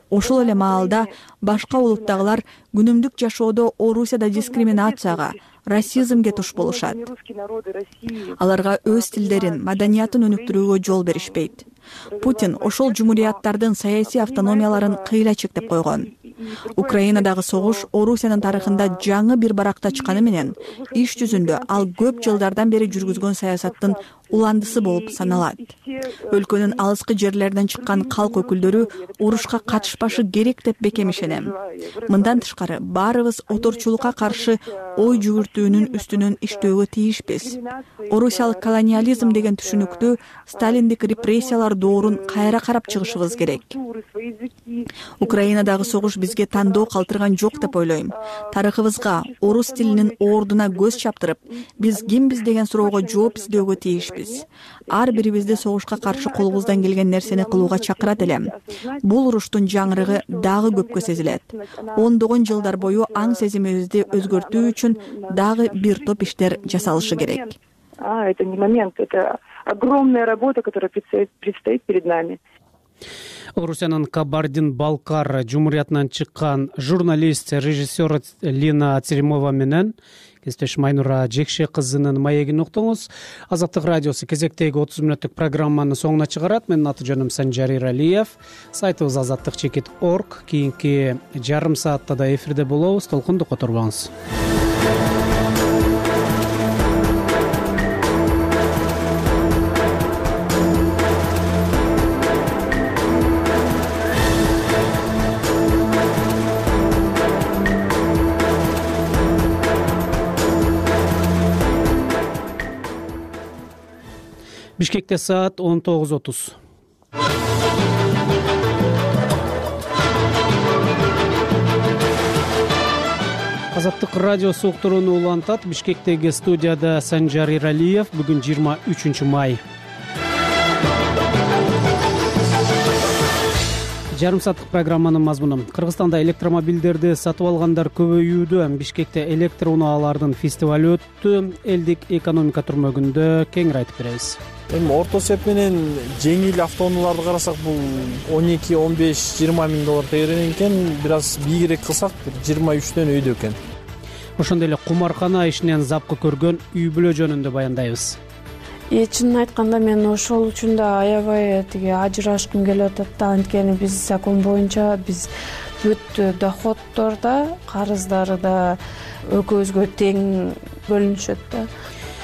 Ошол эле маалда башка улуттагылар күнүмдүк жашоодо Орусияда дискриминацияга, расизмге туш болушат. Аларга өз тилдерин, маданиятын өнүктүрүүгө жол беришпейт. Путин ошол жумурияттардын саясий автономияларын кыйла чектеп койгон. Украинадагы согуш Орусиянын тарыхында жаңы бир баракта чыкканы менен иш жүзүндө ал көп жылдардан бери жүргүзгөн саясаттын уландысы болуп саналат. Өлкөнүн алыскы жерлеринен чыккан калк өкүлдөрү урушка катышпашы керек деп бекем ишенем. Мындан тышкары баарыбыз оторчулукка каршы ой жүгүртүүнүн үстүнөн иштөөгө тийишпиз. Орусиялык колониализм деген түшүнүктү, сталиндик репрессиялар доорун кайра карап чыгышыбыз керек. Украинадагы согуш бизге тандоо калтырган жок деп ойлойм. Тарыхыбызга, орус тилинин ордуна көз чаптырып, биз кимбиз деген суроого жооп издөөгө тийишпиз. Ар бирибизди согушка каршы колубуздан келген нерсени кылууга чакырат элем. Бул уруштун жаңырыгы дагы көпкө сезилет. Ондогон жылдар бою аң сезимибизди өзгөртүү үчүн дагы бир топ иштер жасалышы керек. А, это не момент, это огромная работа, которая предстоит, предстоит перед нами. Орусиянын Кабардин-Балкар жумуриятынан чыккан журналист, режиссер Лина Церемова менен кесиптеш Майнура Жекше кызынын маегин уктуңуз. Азаттык радиосу кезектеги отуз мүнөттүк программаны соңуна чыгарат. Менин аты жөнүм Санжар Иралиев. Сайтыбыз азаттык чекит точка орг. Кийинки жарым саатта да эфирде болобуз. Толкунду которбоңуз. Бишкекте саат он тогуз отуз. Азаттык радиосу уктурууну улантат. Бишкектеги студияда Санжар Иралиев. Бүгүн жыйырма үчүнчү май. Жарым сааттык программанын мазмуну. Кыргызстанда электромобилдерди сатып алгандар көбөйүүдө. Бишкекте электр унаалардын фестивалы өттү. Элдик экономика түрмөгүндө кеңири айтып беребиз. Эми орто эсеп менен жеңил автоунааларды карасак бул он эки он беш жыйырма миң доллар тегеренен экен, бир аз бийигирээк кылсак жыйырма үчтөн өйдө экен. Ошондой эле кумаркана ишинен запкы көргөн үй бүлө жөнүндө баяндайбыз. И чынын айтканда мен ошол үчүн да аябай тиги ажырашкым келип атат да. Анткени биз закон боюнча биз бүт доходдор да, карыздары да экөөбүзгө тең бөлүнүшөт да.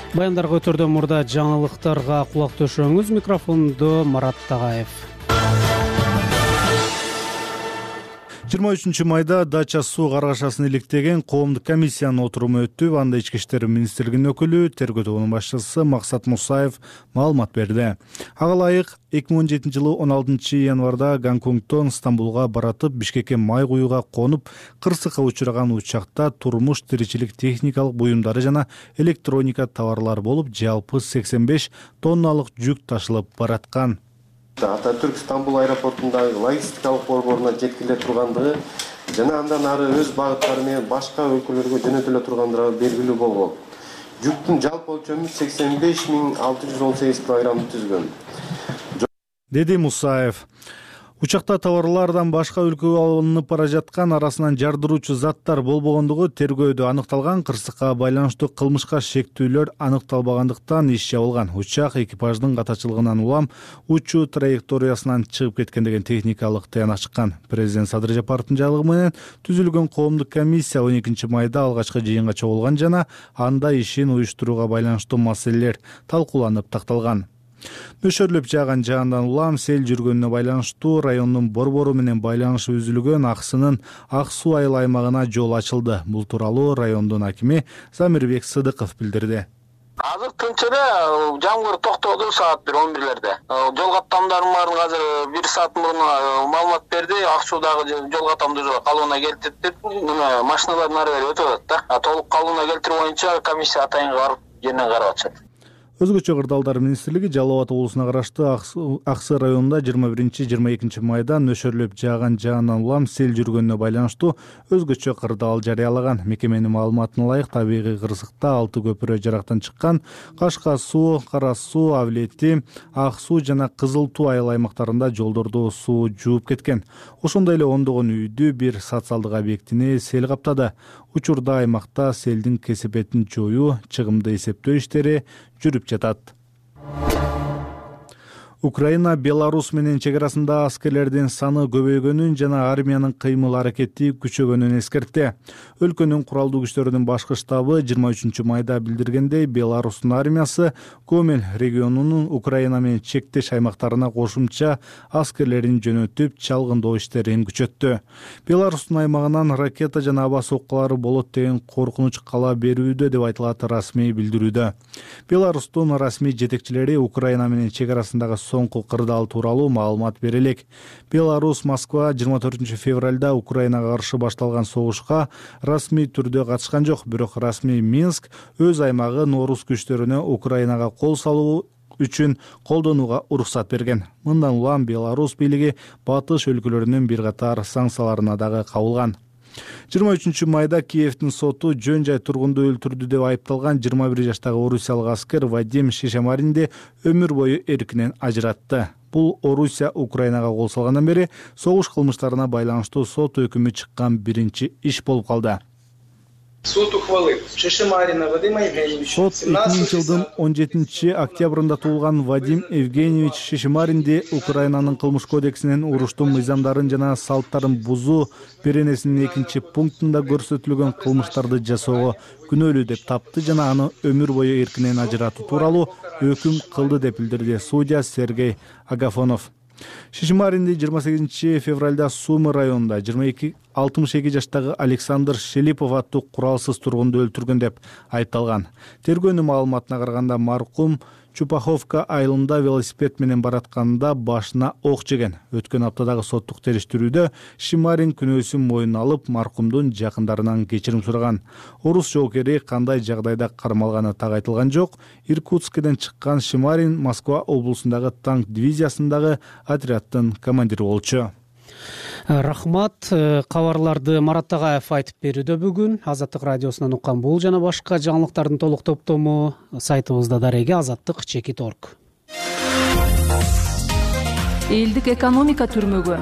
Баяндарга өтөрдөн мурда жаңылыктарга кулак төшөңүз. Микрофондо Марат Тагаев. жыйырма үчүнчү майда Дача суу каргашасын иликтеген коомдук комиссиянын отуруму өттү. Анда Ички иштер министрлигинин өкүлү, тергөө тобунун башчысы Максат Мусаев маалымат берди. Ага ылайык эки миң он жетинчи жылы он алтынчы январда Гонконгдон Стамбулга баратып, Бишкекке май куюуга конуп, кырсыкка учураган учакта турмуш тиричилик техникалык буюмдары жана электроника товарлары болуп, жалпы сексен беш тонналык жүк ташылып бараткан. Ататүрк Стамбул аэропортундагы логистикалык борборуна жеткириле тургандыгы жана андан ары өз багыттары менен башка өлкөлөргө жөнөтүлө тургандыгы белгилүү болгон. Жүктүн жалпы өлчөмү сексен беш миң алты жүз он сегиз килограммды түзгөн, деди Мусаев. Учакта товарлардан башка өлкөгө алынып бара жаткан, арасынан жардыруучу заттар болбогондугу тергөөдө аныкталган. Кырсыкка байланыштуу кылмышка шектүүлөр аныкталбагандыктан иш жабылган. Учак экипаждын катачылыгынан улам учуу траекториясынан чыгып кеткен деген техникалык тыянак чыккан. Президент Садыр Жапаровдун жарлыгы менен түзүлгөн коомдук комиссия он экинчи майда алгачкы жыйынга чогулган жана анда ишин уюштурууга байланыштуу маселелер талкууланып такталган. Нөшөрлөп жааган жаандан улам сел жүргөнүнө байланыштуу райондун борбору менен байланышы үзүлгөн Аксынын Ак суу айыл аймагына жол ачылды. Бул тууралуу райондун акими Замирбек Сыдыков билдирди. Азыр тынч эле, жамгыр токтоду саат бир он бирлерде. Жол каттамдарын баарын азыр бир саат мурун маалымат берди. Ак суудагы жол каттамды калыбына келтирип деп, машиналардын ары бери өтүп атат да. Толук калыбына келтирүү боюнча комиссия атайын барып жеринен карап атышат. Өзгөчө кырдаалдар министрлиги Жалал Абад облусуна караштуу Аксы районунда жыйырма биринчи жыйырма экинчи майда нөшөрлөп жааган жаандан улам сел жүргөнүнө байланыштуу өзгөчө кырдаал жарыялаган. Мекеменин маалыматына ылайык табигый кырсыкта алты көпүрө жарактан чыккан. Кашка суу, Кара суу, Авлети, Ак суу жана Кызыл туу айыл аймактарында жолдорду суу жууп кеткен. Ошондой эле ондогон үйдү, бир социалдык объектини сел каптады. Учурда аймакта селдин кесепетин жоюу, чыгымды эсептөө иштери жүрүп жатат. Украина Беларус менен чек арасында аскерлердин саны көбөйгөнүн жана армиянын кыймыл аракети күчөгөнүн эскертти. Өлкөнүн куралдуу күчтөрүнүн башкы штабы жыйырма үчүнчү майда билдиргендей, Беларустун армиясы Гомель регионунун Украина менен чектеш аймактарына кошумча аскерлерин жөнөтүп, чалгындоо иштерин күчөттү. Беларустун аймагынан ракета жана аба соккулары болот деген коркунуч кала берүүдө деп айтылат расмий билдирүүдө. Беларустун расмий жетекчилери Украина менен чек арасындагы соңку кырдаал тууралуу маалымат бере элек. Беларусь Москва жыйырма төртүнчү февралда Украинага каршы башталган согушка расмий түрдө катышкан жок, бирок расмий Минск өз аймагын орус күчтөрүнө Украинага кол салуу үчүн колдонууга уруксат берген. Мындан улам Беларусь бийлиги батыш өлкөлөрүнүн бир катар санкцияларына дагы кабылган. жыйырма үчүнчү майда Киевдин соту жөн жай тургунду өлтүрдү деп айыпталган жыйырма бир жаштагы орусиялык аскер Вадим Шишамаринди өмүр бою эркинен ажыратты. Бул Орусия Украинага кол салгандан бери согуш кылмыштарына байланыштуу сот өкүмү чыккан биринчи иш болуп калды. Суд ухвалил Шишимарина Вадима Евгеньевича. Сот эки миң жылдын он жетинчи октябрында туулган Вадим Евгеньевич Шишимаринди Украинанын кылмыш кодексинин уруштун мыйзамдарын жана салттарын бузуу беренесинин экинчи пунктунда көрсөтүлгөн кылмыштарды жасоого күнөөлүү деп тапты жана аны өмүр бою эркинен ажыратуу тууралуу өкүм кылды деп билдирди судья Сергей Агафонов. Шишимаринди жыйырма сегизинчи февралда Сумы районунда жыйырма эки алтымыш эки жаштагы Александр Шелипов аттуу куралсыз тургунду өлтүргөн деп айыпталган. Тергөөнүн маалыматына караганда маркум Чупаховка айылында велосипед менен баратканда башына ок жеген. Өткөн аптадагы соттук териштирүүдө Шишимарин күнөөсүн мойнуна алып, маркумдун жакындарынан кечирим сураган. Орус жоокери кандай жагдайда кармалганы так айтылган жок. Иркутскден чыккан Шишимарин Москва облусундагы танк дивизиясындагы отряддын командири болчу. Рахмат. Кабарларды Марат Тагаев айтып берүүдө бүгүн. Азаттык радиосунан уккан бул жана башка жаңылыктардын толук топтому сайтыбызда дареги азаттык чекит орг. Элдик экономика түрмөгү.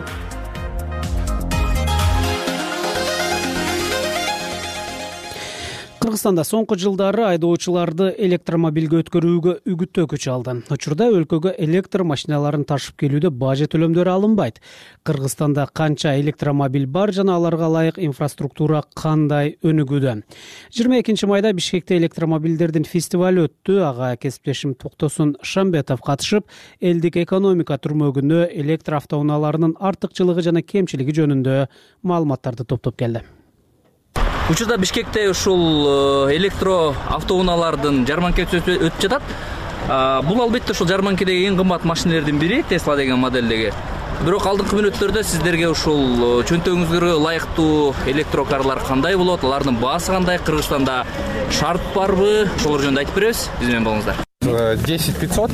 Кыргызстанда соңку жылдары айдоочуларды электромобилге өткөрүүгө үгүттөө күч алды. Учурда өлкөгө электр машиналарын ташып келүүдө бажет төлөмдөрү алынбайт. Кыргызстанда канча электромобиль бар жана аларга ылайык инфраструктура кандай өнүгүүдө? жыйырма экинчи майда Бишкекте электромобилдердин фестивалы өттү. Ага кесиптешим Токтосун Шамбетов катышып, элдик экономика түрмөгүнө электр автоунааларынын артыкчылыгы жана кемчилиги жөнүндө маалыматтарды топтоп келди. Учурда Бишкекте ушул электро автоунаалардын жарманкасы өтүп жатат. Бул албетте ушул жарманкедеги эң кымбат машиналардын бири, Tesla деген моделдеги. Бирок алдыңкы мүнөттөрдө сиздерге ушул чөнтөгүңүзгө ылайыктуу электрокарлар кандай болот, алардын баасы кандай, Кыргызстанда шарт барбы? Ошолор жөнүндө айтып беребиз. Биз менен болуңуздар. десять пятьсот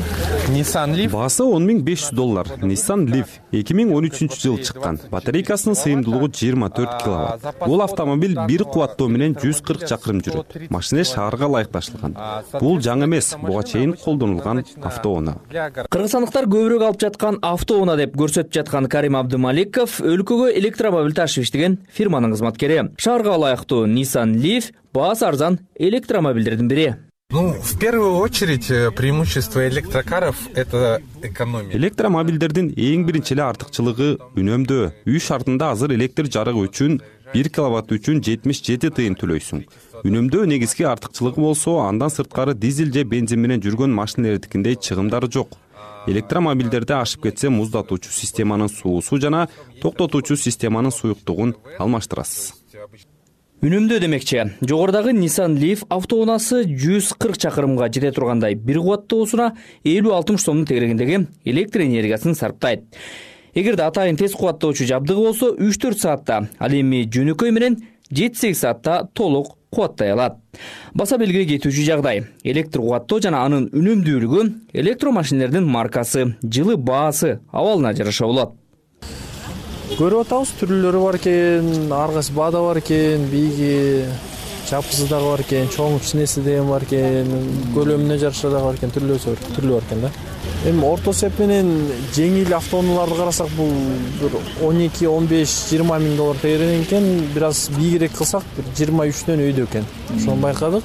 Nissan Leaf. Баасы он миң беш жүз доллар. Nissan Leaf эки миң он үчүнчү жылы чыккан. Батарейкасынын сыйымдуулугу жыйырма төрт киловатт. Бул автомобиль бир кубаттоо менен жүз кырк чакырым жүрөт. Машина шаарга ылайыкташылган. Бул жаңы эмес, буга чейин колдонулган автоунаа. Кыргызстандыктар көбүрөөк алып жаткан автоунаа деп көрсөтүп жаткан Карим Абдымаликов өлкөгө электромобиль ташып иштеген фирманын кызматкери. Шаарга ылайыктуу Nissan Leaf баасы арзан электромобилдердин бири. Ну, в первую очередь, преимущество электрокаров – это экономия. Электромобилдердин эң биринчи эле артыкчылыгы үнөмдөө. Үй шартында азыр электр жарыгы үчүн бир киловатт үчүн жетимиш жети тыйын төлөйсүң. Үнөмдөө негизги артыкчылыгы болсо, андан сырткары дизель же бензин менен жүргөн машиналардыкиндей чыгымдары жок. Электромобилдерде ашып кетсе муздатуучу системанын суусу жана токтотуучу системанын суюктугун алмаштырасыз. Үнөмдөө демекчи, жогорудагы Nissan Leaf автоунаасы жүз кырк чакырымга жете тургандай бир кубаттуусуна элүү алтымыш сомдун тегерегиндеги электр энергиясын сарптайт. Эгерде атайын тез кубаттоочу жабдыгы болсо үч төрт саатта, ал эми жөнөкөй менен жети сегиз саатта толук кубаттай алат. Баса белгилей кетүүчү жагдай, электр кубаттоо жана анын үнөмдүүлүгү электромашиналардын маркасы, жылы баасы, абалына жараша болот. Көрүп атабыз, түрлөрү бар экен, ар кайсы баада бар экен, бийги, чапкысы дагы бар экен, чоң кичинеси деген бар экен, көлөмүнө жараша дагы бар экен, түрлөсү түрлүү бар экен да. Эми орто эсеп менен жеңил автоунааларды карасак, бул бир он эки он беш жыйырма миң доллар тегеренген экен, бир аз бийигирээк кылсак бир жыйырма үчтөн өйдө экен. Ошону байкадык.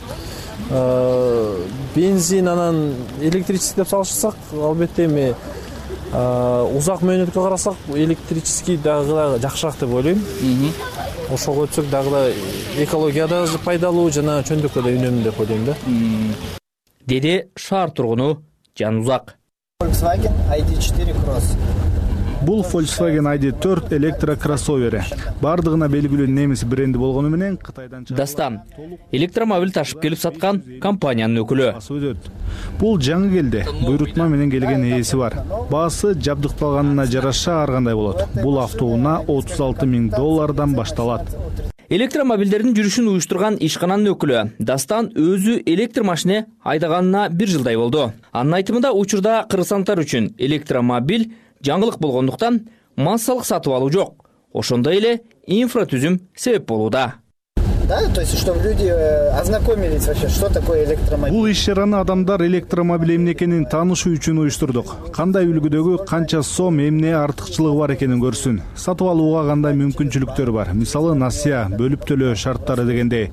Бензин анан электрический деп салышсак, албетте эми узак мөөнөткө карасак электрический дагы жакшыраак деп ойлойм. Ошого өтсөк дагы да экологияда пайдалуу жана чөндүккө да үнөмдүү деп ойлойм да. Деди шаар тургуну Жанузак. Volkswagen ай ди четыре Cross. Бул Volkswagen ай ди төрт электрокроссовери. Бардыгына белгилүү немис бренди болгону менен Кытайдан Дастан электромобиль ташып келип саткан компаниянын өкүлү. Бул жаңы келди. Буйрутма менен келген ээси бар. Баасы жабдыкталганына жараша ар кандай болот. Бул автоунаа отуз алты миң доллардан башталат. Электромобилдердин жүрүшүн уюштурган ишкананын өкүлү Дастан өзү электр машина айдаганына бир жылдай болду. Анын айтымында учурда кыргызстандыктар үчүн электромобиль жаңылык болгондуктан массалык сатып алуу жок. Ошондой эле инфратүзүм себеп болууда. Да, то есть, чтобы люди ознакомились вообще, что такое электромобиль. Бул иш чараны адамдар электромобиль эмне экенин таанышуу үчүн уюштурдук. Кандай үлгүдөгү канча сом, эмне артыкчылыгы бар экенин көрсүн. Сатып алууга кандай мүмкүнчүлүктөр бар. Мисалы, насыя, бөлүп төлөө шарттары дегендей.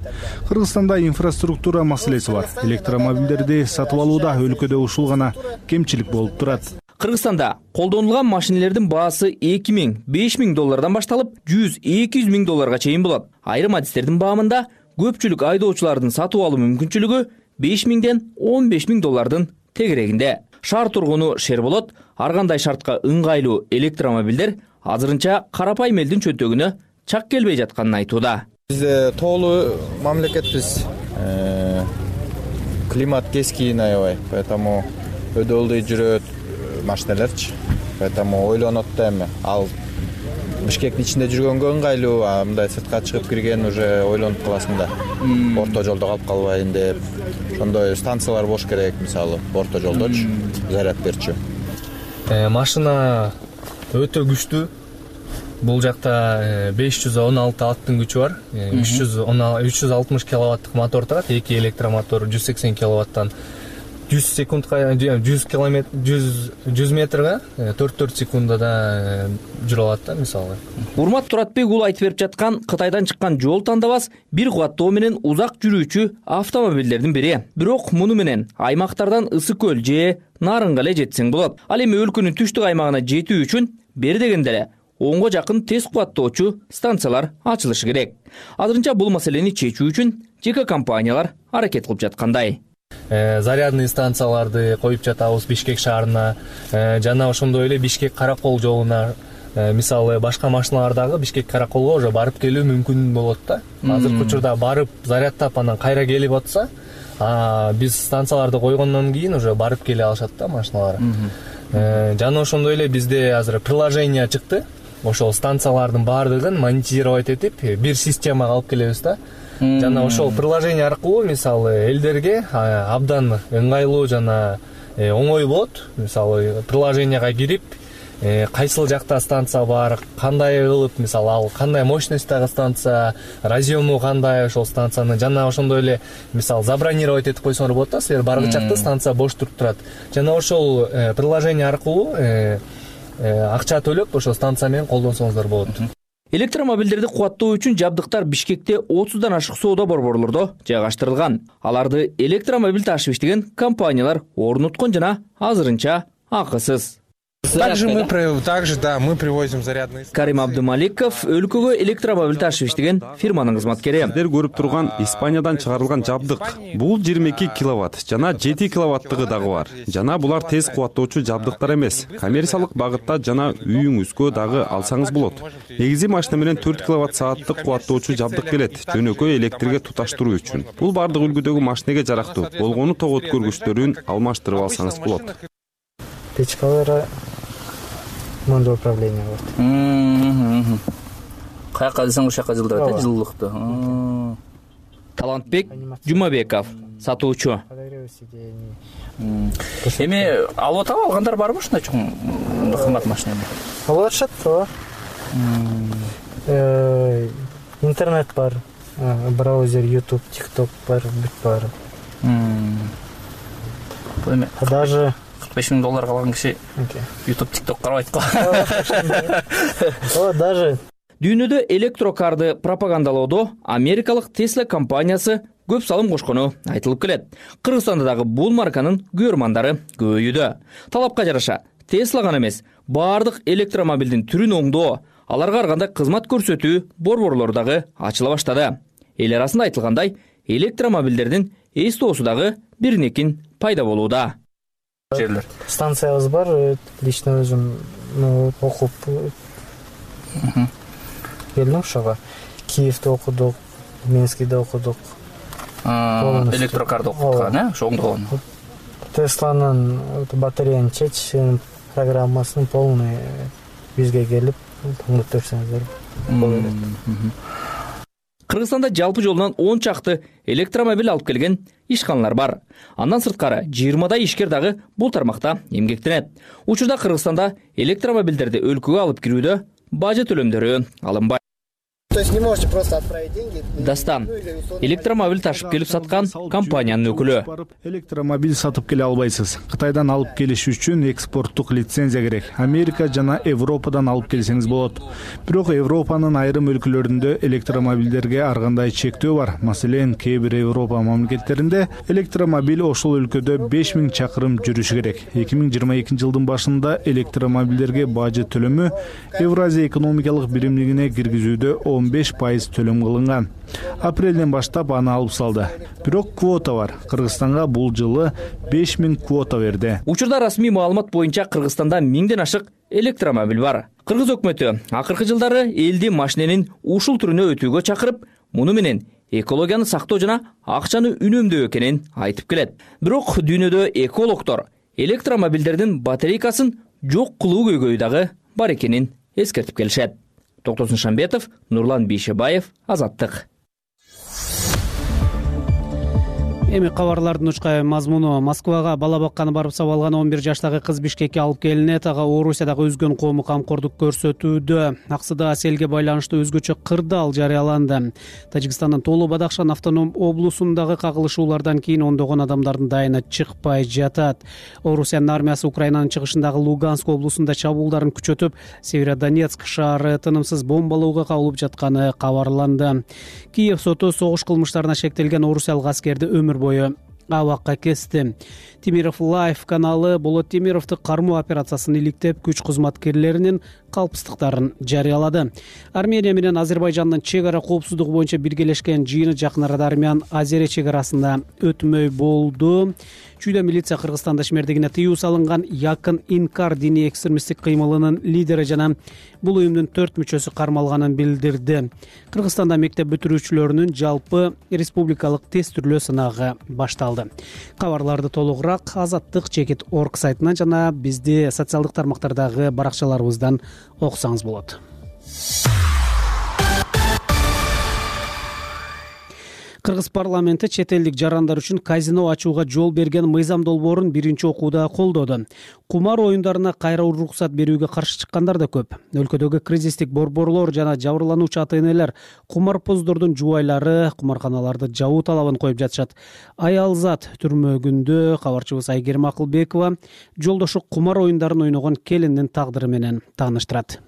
Кыргызстанда инфраструктура маселеси бар. Электромобилдерди сатып алууда өлкөдө ушул гана кемчилик болуп турат. Кыргызстанда колдонулган машинелердин баасы эки миң беш миң доллардан башталып жүз эки жүз миң долларга чейин болот. Айрым адистердин баамында көпчүлүк айдоочулардын сатып алуу мүмкүнчүлүгү беш миңден он беш миң доллардын тегерегинде. Шаар тургуну Шерболот ар кандай шартка ыңгайлуу электромобилдер азырынча карапайым элдин чөнтөгүнө чак келбей жатканын айтууда. Биз тоолуу мамлекетпиз. Климат кескин аябай, поэтому өдө ылдый жүрөт машиналерчи. Поэтому ойлонот да эми. Ал Бишкектин ичинде жүргөнгө ыңгайлуу, а мындай сыртка чыгып кирген уже ойлонуп каласың да. Орто жолдо калып калбайын деп. Ошондой станциялар болуш керек, мисалы, орто жолдочу, заряд берчү. Машина өтө күчтүү. Бул жакта беш жүз он алты аттын күчү бар. үч жүз алтымыш киловаттык мотор турат, эки электромотор жүз сексен киловаттан жүз секундка жүз километр жүз метрге төрт төрт секундада жүрө алат да, мисалы. Урмат Туратбек уулу айтып берип жаткан Кытайдан чыккан жол тандабас бир кубаттоо менен узак жүрүүчү автомобилдердин бири. Бирок муну менен аймактардан Ысык көл же Нарынга эле жетсең болот. Ал эми өлкөнүн түштүк аймагына жетүү үчүн бери дегенде эле онго жакын тез кубаттоочу станциялар ачылышы керек. Азырынча бул маселени чечүү үчүн жеке компаниялар аракет кылып жаткандай. Зарядный станцияларды коюп жатабыз Бишкек шаарына, жана ошондой эле Бишкек Каракол жолуна, мисалы башка машиналардагы Бишкек Караколго уже барып келүү мүмкүн болот да. Азыркы учурда барып зарядтап анан кайра келип атса, биз станцияларды койгондон кийин уже барып келе алышат да машиналар. Жана ошондой эле бизде азыр приложение чыкты. Ошол станциялардын баардыгын монетизировать этип, бир системага алып келебиз да. Жана ошол приложение аркылуу мисалы элдерге абдан ыңгайлуу жана оңой болот. Мисалы приложенияга кирип, кайсыл жакта станция бар, кандай кылып, мисалы ал кандай мощностьтагы станция, разъему кандай ошол станцияны, жана ошондой эле мисалы забронировать этип койсоңор болот да, силер баргычакта станция бош туруп турат. Жана ошол приложение аркылуу акча төлөп ошол станция менен колдонсоңуздар болот. Электромобилдерди кубаттоо үчүн жабдыктар Бишкекте отуздан ашык соода борборлордо жайгаштырылган. Аларды электромобиль ташып иштеген компаниялар орнуткон жана азырынча акысыз. Также мы, также, да, мы привозим зарядные. Карим Абдумаликов өлкөгө электромобиль ташып иштеген фирманын кызматкери. Сиздер көрүп турган Испаниядан чыгарылган жабдык. Бул жыйырма эки киловатт жана жети киловаттыгы дагы бар. Жана булар тез кубаттоочу жабдыктар эмес. Коммерциялык багытта жана үйүңүзгө дагы алсаңыз болот. Негизи машина менен төрт киловатт сааттык кубаттоочу жабдык келет, жөнөкөй электрге туташтыруу үчүн. Бул бардык үлгүдөгү машинеге жарактуу. Болгону ток өткөргүчтөрүн алмаштырып алсаңыз болот. Печкалары мындай управление бар. Каяка десең ошол жака жылдырат, э, жылуулукту. Талантбек Жумабеков, сатуучу. Эми алып атып алгандар барбы ушундай чоң кымбат машинаны? Алып атышат, ооба. Интернет бар, браузер, YouTube, TikTok бар, бүт бар. Даже беш миң долларга алган киши YouTube, TikTok карабайт го. Ооба, даже Дүйнөдө электрокарды пропагандалоодо Америкалык Tesla компаниясы көп салым кошкону айтылып келет. Кыргызстанда дагы бул марканын көрмандары көбөйүүдө. Талапка жараша Tesla гана эмес, бардык электромобилдин түрүн оңдоо, аларга ар кандай кызмат көрсөтүү борборлору дагы ачыла баштады. Эл арасында айтылгандай, электромобилдердин эстоосу дагы биринекин пайда болууда. Станциябыз бар, лично өзүм окуп келдим ошого. Киевде окудук, Минскиде окудук. Электрокарды окуткан, э? Ошо оңдогон. Тесланын батареяны чечишин программасын полный бизге келип оңдоп берсеңиздер болот. Кыргызстанда жалпы жолунан он чакты электромобиль алып келген ишканалар бар. Андан сырткары жыйырмадай ишкер дагы бул тармакта эмгектенет. Учурда Кыргызстанда электромобилдерди өлкөгө алып кирүүдө бажы төлөмдөрү алынбайт. То есть не можете просто отправить деньги. Дастан электромобиль ташып келип саткан компаниянын өкүлү. Электромобиль сатып келе албайсыз. Кытайдан алып келиш үчүн экспорттук лицензия керек. Америка жана Европадан алып келсеңиз болот. Бирок Европанын айрым өлкөлөрүндө электромобилдерге ар кандай чектөө бар. Маселен, кээ бир Европа мамлекеттеринде электромобиль ошол өлкөдө беш миң чакырым жүрүшү керек. эки миң жыйырма экинчи жылдын башында электромобилдерге бажы төлөмү Евразия экономикалык биримдигине киргизүүдө он беш пайыз төлөм кылынган. Апрелден баштап аны алып салды. Бирок квота бар. Кыргызстанга бул жылы беш миң квота берди. Учурда расмий маалымат боюнча Кыргызстанда миңден ашык электромобиль бар. Кыргыз өкмөтү акыркы жылдары элди машиненин ушул түрүнө өтүүгө чакырып, муну менен экологияны сактоо жана акчаны үнөмдөө экенин айтып келет. Бирок дүйнөдө экологдор электромобилдердин батарейкасын жок кылуу көйгөйү дагы бар экенин эскертип келишет. Токтосун Шамбетов, Нурлан Бейшебаев, Азаттык. Эми кабарлардын учкай мазмуну. Москвага бала бакканы барып сабалган он бир жаштагы кыз Бишкекке алып келинет. Ага Орусиядагы өзгөн коому камкордук көрсөтүүдө. Аксыда селге байланыштуу өзгөчө кырдаал жарыяланды. Тажикстандын Толу Бадахшан автоном облусундагы кагылышуулардан кийин ондогон адамдардын дайыны чыкпай жатат. Орусиянын армиясы Украинанын чыгышындагы Луганск облусунда чабуулдарын күчөтүп, Северодонецк шаары тынымсыз бомбалоого кабылып жатканы кабарланды. Киев соту согуш кылмыштарына шектелген орусиялык аскерди өмүр бою абакка кести. Темиров Лайф каналы Болот Темировду кармоо операциясын иликтеп, күч кызматкерлеринин калпсыздыктарын жарыялады. Армения менен Азербайжандын чек ара коопсуздугу боюнча биргелешкен жыйыны жакын арада Армян Азере чек арасында өтмөй болду. Чүйдө милиция Кыргызстанда ишмердигине тыюу салынган Якын Инкар диний экстремисттик кыймылынын лидери жана бул уюмдун төрт мүчөсү кармалганын билдирди. Кыргызстанда мектеп бүтүрүүчүлөрүнүн жалпы республикалык тестүрлөө сынагы башталды. Кабарларды толугураак Азаттык чекит точка орг сайтынан жана бизди социалдык тармактардагы баракчаларыбыздан окусаңыз болот. Кыргыз парламенти чет элдик жарандар үчүн казино ачууга жол берген мыйзам долбоорун биринчи окууда колдоду. Кумар оюндарына кайра уруксат берүүгө каршы чыккандар да көп. Өлкөдөгү кризистик борборлор жана жабырлануучу ата-энелер кумарпоздордун жубайлары кумарканаларды жабуу талабын коюп жатышат. Аялзат түрмөгүндө кабарчыбыз Айгерим Акылбекова жолдошу кумар оюндарын ойногон келиндин тагдыры менен тааныштырат.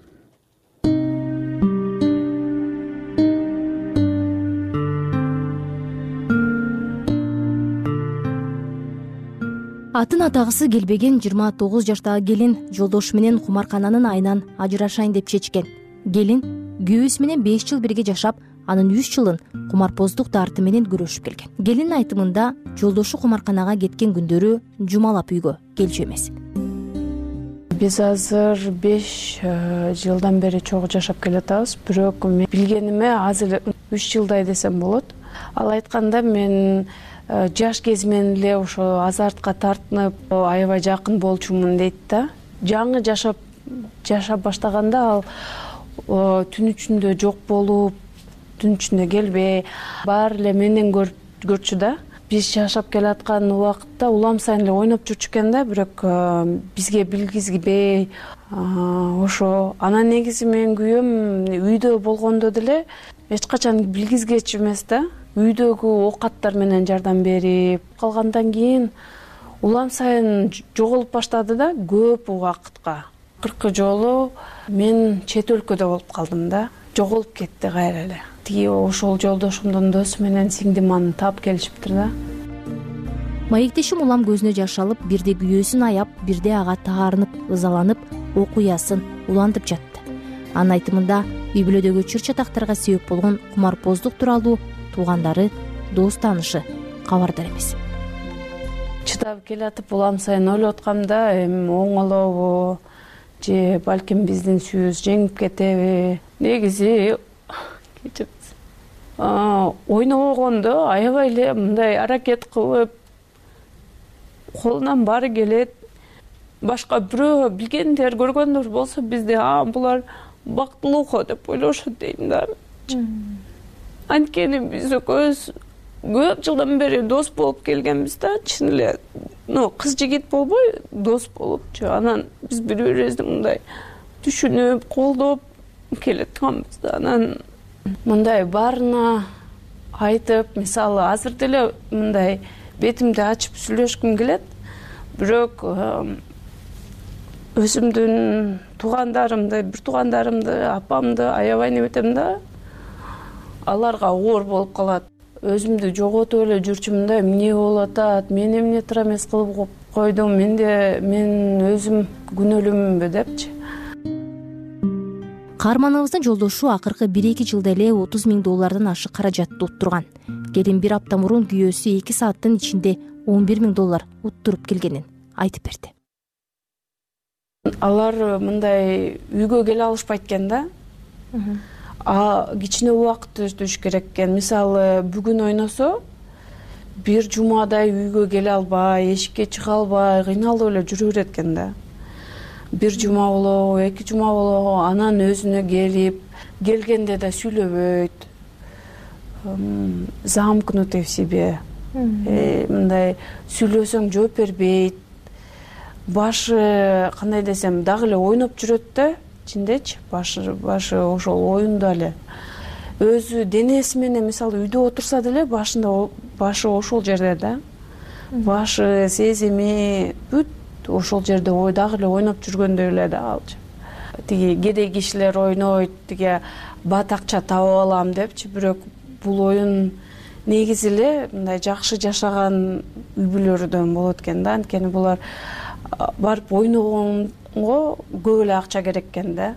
Атын атагысы келбеген жыйырма тогуз жаштагы келин жолдошу менен кумаркананын айынан ажырашайын деп чечкен. Келин күйөөсү менен беш жыл бирге жашап, анын үч жылын кумарпоздук дарты менен күрөшүп келген. Келин айтымында жолдошу кумарканага кеткен күндөрү жумалап үйгө келчү эмес. Биз азыр беш жылдан бери чогуу жашап келатабыз, бирок мен билгениме азыр үч жылдай десем болот. Ал айтканда мен жаш кезимен эле ошо азартка тартынып, аябай жакын болчумун дейт да. Жаңы жашап жашап баштаганда ал түн ичинде жок болуп, түн ичинде келбей, баары эле менден көрчү да. Биз жашап келаткан убакытта улам сайын эле ойноп жүрчү экен да, бирок бизге билгизбей, ошо анан негизи менин күйөөм үйдө болгондо деле эч качан билгизгечү эмес да. Үйдөгү оокаттар менен жардам берип калгандан кийин улам сайын жоголуп баштады да, көп убакытка. Кыркы жолу мен чет өлкөдө болуп калдым да, жоголуп кетти кайра эле. Тиги ошол жолдошумдун досу менен сиңдим аны таап келишиптир да. Маектешим улам көзүнө жаш алып, бирде күйөөсүн аяп, бирде ага таарынып, ызаланып, окуясын улантып жатты. Анын айтымында үй бүлөдөгү чыр чатактарга себеп болгон кумарпоздук тууралуу туугандары, дос таанышы кабардар эмес. Чыдап келатып улам сайын ойлоп аткамда, эми оңолобу же балким биздин сүйүбүз жеңип кетеби? Негизи ойнобогондо аябай эле мындай аракет кылып, колунан баары келет. Башка бирөө билгендер, көргөндөр болсо бизде а булар бактылуу деп ойлошот дейм да. Анткени биз экөөбүз көп жылдан бери дос болуп келгенбиз да, чын эле. Ну, кыз жигит болбой, дос болупчу. Анан биз бири бирибизди мындай түшүнүп, колдоп келатканбыз да. Анан мындай баарына айтып, мисалы азыр деле мындай бетимди ачып сүйлөшкүм келет, бирок өзүмдүн туугандарымды, бир туугандарымды, апамды аябай неметем да, аларга оор болуп калат. Өзүмдү жоготуп эле жүрчүмүн да, эмне болуп атат, мен эмне туура эмес кылып койдум, менде мен өзүм күнөөлүүмүнбү депчи. Каарманыбыздын жолдошу акыркы бир эки жылда эле отуз миң доллардан ашык каражатты уттурган. Келин бир апта мурун күйөөсү эки сааттын ичинде он бир миң доллар уттуруп келгенин айтып берди. Алар мындай үйгө келе алышпайт экен да. А кичине убакыт өтүш керек экен. Мисалы бүгүн ойносо, бир жумадай үйгө келе албай, эшикке чыга албай, кыйналып эле жүрө берет экен да. Бир жума болобу, эки жума болобу, анан өзүнө келип, келгенде да сүйлөбөйт. Замкнутый в себе. Мындай сүйлөсөң жооп бербейт. Башы кандай десем, дагы эле ойноп жүрөт да, ичиндечи, башы башы ошол оюнда эле. Өзү денеси менен мисалы үйдө отурса деле башында башы ошол жерде да. Башы, сезими бүт ошол жерде ой дагы эле ойноп жүргөндөй эле да алчы. Тиги кедей кишилер ойнойт, тиги бат акча таап алам депчи, бирок бул оюн негизи эле мындай жакшы жашаган үй бүлөлөрдөн болот экен да. Анткени булар барып ойногонго көп эле акча керек экен да.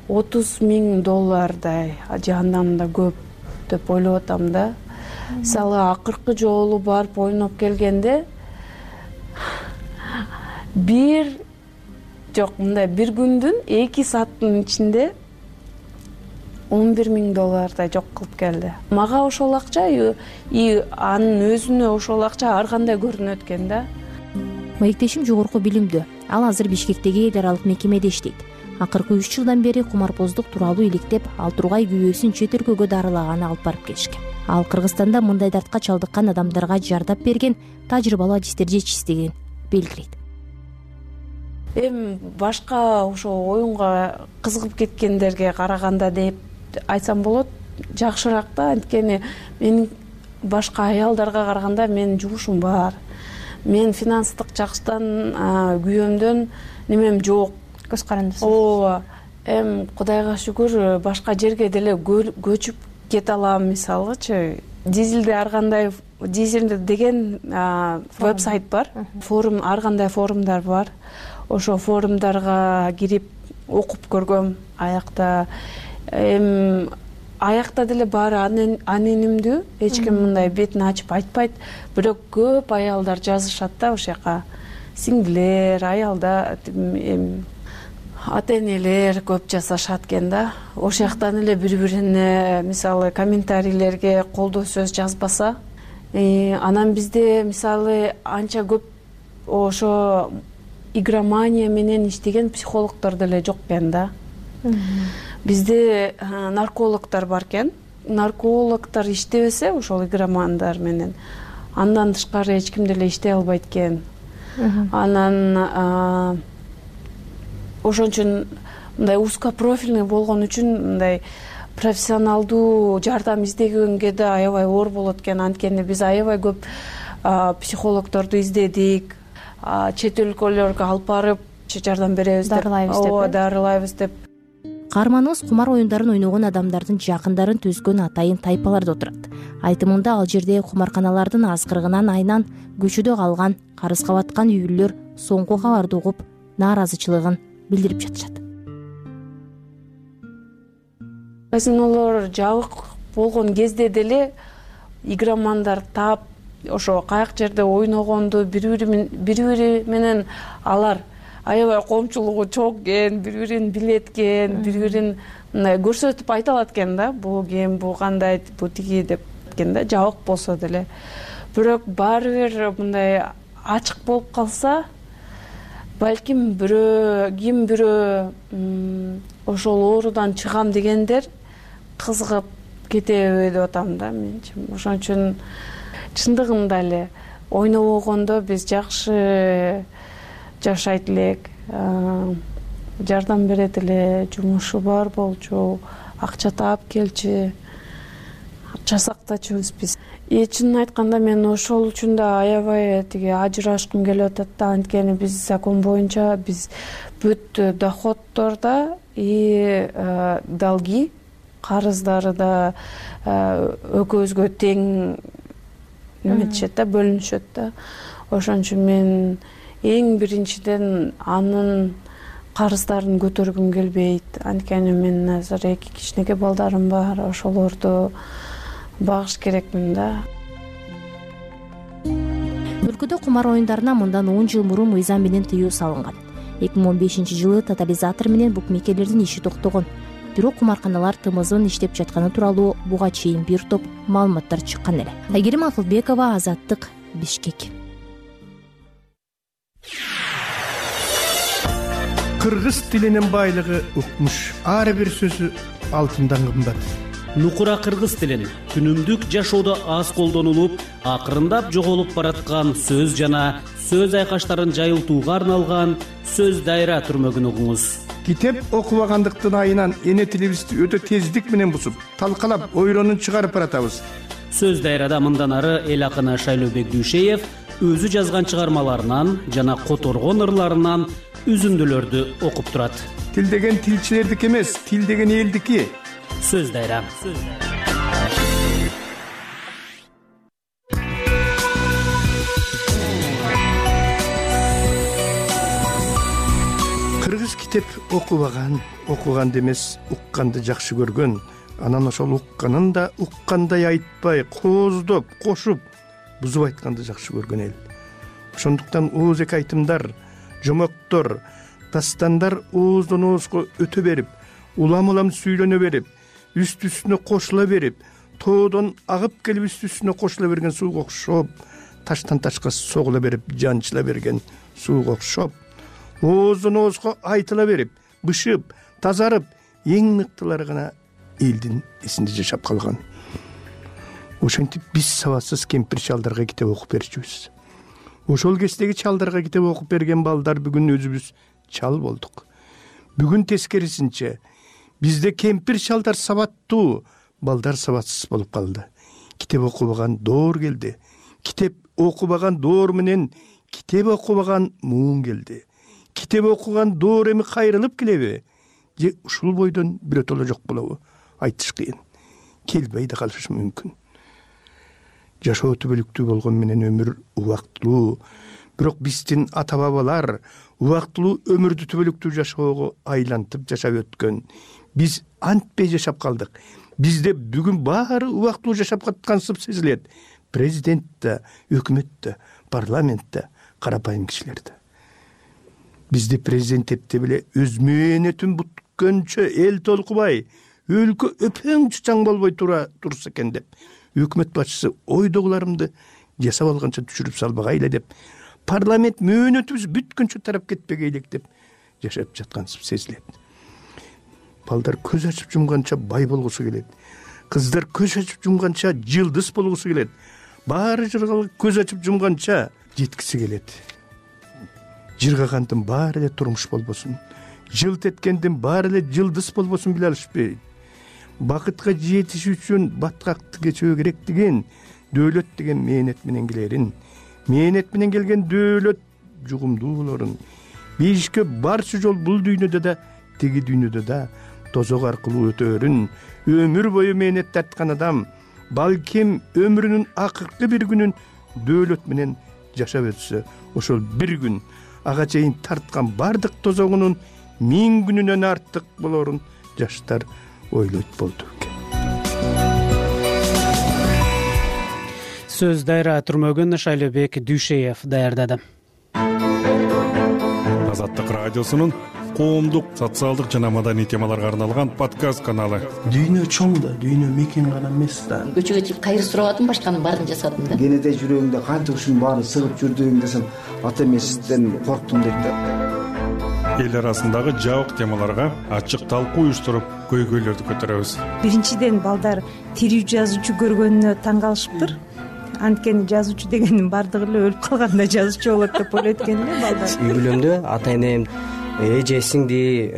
отуз миң доллардай, же андан да көп деп ойлоп атам да. Мисалы акыркы жолу барып ойноп келгенде бир жок мындай бир күндүн эки сааттын ичинде он бир миң доллардай жок кылып келди. Мага ошол акча и анын өзүнө ошол акча ар кандай көрүнөт экен да. Маектешим жогорку билимдүү. Ал азыр Бишкектеги эл аралык мекемеде иштейт. Акыркы үч жылдан бери кумарбоздук тууралуу иликтеп, ал тургай күйөөсүн чет өлкөгө дарылаганы алып барып келишкен. Ал Кыргызстанда мындай дартка чалдыккан адамдарга жардап берген тажрыйбалуу адистер жетишсиздигин белгилейт. Эми башка ошо оюнга кызыгып кеткендерге караганда деп айтсам болот, жакшыраак да. Анткени мен башка аялдарга караганда менин жумушум бар. Мен финанстык жактан күйөөмдөн немем жок. Көз карандысыз. Ооба. Эми Кудайга шүгүр башка жерге деле көчүп кете алам, мисалычы. Дизелде ар кандай дизелде деген веб-сайт бар. Форум, ар кандай форумдар бар. Ошо форумдарга кирип окуп көргөм. Аякта эми аякта деле баары анонимдүү, эч ким мындай бетин ачып айтпайт. Бирок көп аялдар жазышат да ошол жака. Сиңдилер, аялдар, ата-энелер көп жазышат экен да. Ошол жактан эле бири-бирине мисалы комментарийлерге колдоо сөз жазбаса, анан бизде мисалы анча көп ошо игромания менен иштеген психологдор деле жок экен да. Бизде наркологдор бар экен. Наркологдор иштебесе ошол игромандар менен, андан тышкары эч ким деле иштей албайт экен. Анан ошон үчүн мындай узкопрофильный болгон үчүн мындай профессионалдуу жардам издегенге да аябай оор болот экен. Анткени биз аябай көп психологдорду издедик, чет өлкөлөргө алып барып жардам беребиз деп, ооба, дарылайбыз деп. Каарманыбыз кумар оюндарын ойногон адамдардын жакындарын түзгөн атайын тайпаларда отурат. Айтымында ал жерде кумарканалардын азгырыгынан айнан көчөдө калган, карызга баткан үй бүлөлөр соңку кабарды угуп нааразычылыгын билдирип жатышат. Казинолор жабык болгон кезде деле игромандар таап ошо каяк жерде ойногонду бири-бири менен алар аябай коомчулугу чок экен, бири-бирин билет экен, бири-бирин мындай көрсөтүп айта алат экен да, бул ким, бул кандай, бул тиги деп экен да, жабык болсо деле. Бирок баары бир мындай ачык болуп калса, балким бирөө, ким бирөө ошол оорудан чыгам дегендер кызыгып кетеби деп атам да менчи. Ошон үчүн чындыгында эле ойнобогондо биз жакшы жашайт элек, жардам берет эле, жумушу бар болчу, акча таап келчи, жасактачубуз биз. И чынын айтканда мен ошол үчүн да аябай тиги ажырашкым келип атат да. Анткени биз закон боюнча биз бүт доходдор да и долги, карыздары да экөөбүзгө тең неметишет да, бөлүнүшөт да. Ошон үчүн мен эң биринчиден анын карыздарын көтөргүм келбейт. Анткени мен азыр эки кичинекей балдарым бар, ошолорду багыш керекмин да. Өлкөдө кумар оюндарына мындан он жыл мурун мыйзам менен тыюу салынган. эки миң он бешинчи жылы тотализатор менен букмекерлердин иши токтогон. Бирок кумарканалар тымызын иштеп жатканы тууралуу буга чейин бир топ маалыматтар чыккан эле. Айгерим Акылбекова, Азаттык, Бишкек. Кыргыз тилинин байлыгы укмуш. Ар бир сөзү алтындан кымбат. Нукура кыргыз тилин күнүмдүк жашоодо аз колдонулуп, акырындап жоголуп бараткан сөз жана сөз айкаштарын жайылтууга арналган сөз дайра түрмөгүн угуңуз. Китеп окубагандыктын айынан эне тилибизди өтө тездик менен бусуп, талкалап, ойронун чыгарып баратабыз. Сөз дайрада мындан ары эл акыны Шайлообек Дүйшеев өзү жазган чыгармаларынан жана которгон ырларынан үзүндүлөрдү окуп турат. Тил деген тилчилердики эмес, тил деген элдики. Сөз дайра. Кыргыз китеп окубаган, окуганды эмес, укканды жакшы көргөн. Анан ошол укканын да уккандай айтпай, кооздоп, кошуп, бузуп айтканды жакшы көргөн эл. Ошондуктан ооз эки айтымдар, жомоктор, дастандар ооздон оозго өтө берип, улам-улам сүйлөнө берип, үстү-үстүнө кошула берип, тоодон агып келип үстү-үстүнө кошула берген сууга окшоп, таштан ташка согула берип, жанчыла берген сууга окшоп, ооздон оозго айтыла берип, бышып, тазарып, эң мыктылары гана элдин эсинде жашап калган. Ошентип биз сабатсыз кемпир чалдарга китеп окуп берчүбүз. Ошол кездеги чалдарга китеп окуп берген балдар бүгүн өзүбүз чал болдук. Бүгүн тескерисинче бизде кемпир чалдар сабаттуу, балдар сабатсыз болуп калды. Китеп окубаган доор келди. Китеп окубаган доор менен китеп окубаган муун келди. Китеп окуган доор эми кайрылып келеби? Же ушул бойдон бирөтөлө жок болобу? Айтыш кыйын. Келбей да калышы мүмкүн. Жашоо түбөлүктүү болгон менен өмүр убактылуу. Бирок биздин ата бабалар убактылуу өмүрдү түбөлүктүү жашоого айлантып жашап өткөн. Биз антпей жашап калдык. Бизде бүгүн баары убактылуу жашап каткансып сезилет. Президент да, өкмөт да, парламент да, карапайым кишилер да. Бизде президент эпте беле өз мээнетин бүткөнчө эл толкубай, өлкө өпөң чучаң болбой тура турса экен деп, өкмөт башчысы ойдогуларымды жасап алганча түшүрүп салбагайлы деп, парламент мөөнөтүбүз бүткөнчө тарап кетпегей элек деп жашап жаткансып сезилет. Балдар көз ачып жумганча бай болгусу келет. Кыздар көз ачып жумганча жылдыз болгусу келет. Баары жыргалык көз ачып жумганча жеткиси келет. Жыргагандын баары эле турмуш болбосун, жылт эткендин баары эле жылдыз болбосун биле алышпайт. Бакытка жетиш үчүн баткакты кечөө керек деген, дөөлөт деген мээнет менен келерин, мээнет менен келген дөөлөт жугумдуу болорун. Бейишке барчы жол бул дүйнөдө да, теги дүйнөдө да тозок аркылуу өтөөрүн. Өмүр бою мээнет тарткан адам балким өмүрүнүн акыркы бир күнүн дөөлөт менен жашап өтсө, ошол бир күн ага чейин тарткан бардык тозогунун миң күнүнөн артык болорун жаштар ойлойт болду. Сөз дайра түрмөгүн Шайлообек Дүйшеев даярдады. Азаттык радиосунун коомдук, социалдык жана маданий темаларга арналган подкаст каналы. Дүйнө чоң да, дүйнө мекен гана эмес да. Көчөгө чыгып кайыр сурап атам, башканын баарын жасадым да. Кенеде жүрөгүңдө канча ушунун баарын сыгып жүрдүң десем, ата эмесизден корктум дейт да. Эл арасындагы жабык темаларга ачык талкуу уюштуруп, көйгөйлөрдү көтөрөбүз. Биринчиден балдар тирүү жазуучу көргөнүнө таң калышыптыр. Анткени жазуучу дегендин бардыгы эле өлүп калганда жазуучу болот деп ойлойт экен эле балдар. Үй бүлөмдө ата энем, эже, сиңди,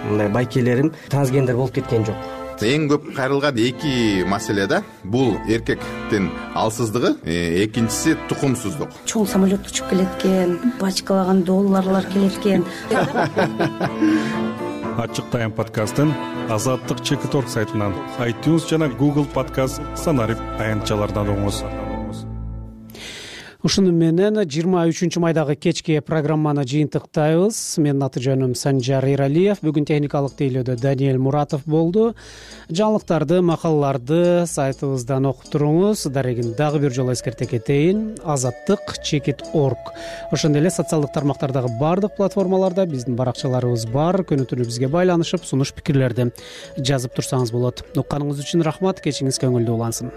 мындай байкелерим трансгендер болуп кеткен жок. эң көп кайрылган эки маселе да. Бул эркектин алсыздыгы, экинчиси тукумсуздук. Чоң самолет учуп келет экен, бачкалаган долларлар келет экен. Ачык Тайм подкастын Азаттык чекит орг сайтынан, iTunes жана Google подкаст санарип аянтчалардан угуңуз. Ушуну менен жыйырма үчүнчү майдагы кечки программаны жыйынтыктайбыз. Менин аты жөнүм Санжар Иралиев. Бүгүн техникалык тейлөөдө Даниэль Муратов болду. Жаңылыктарды, макалаларды сайтыбыздан окуп туруңуз. Дарегин дагы бир жолу эскерте кетейин. азаттык чекит орг. Ошондой эле социалдык тармактардагы баардык платформаларда биздин баракчаларыбыз бар. Күнү түнү бизге байланышып, сунуш пикирлерди жазып турсаңыз болот. Укканыңыз үчүн рахмат. Кечиңиз көңүлдүү улансын.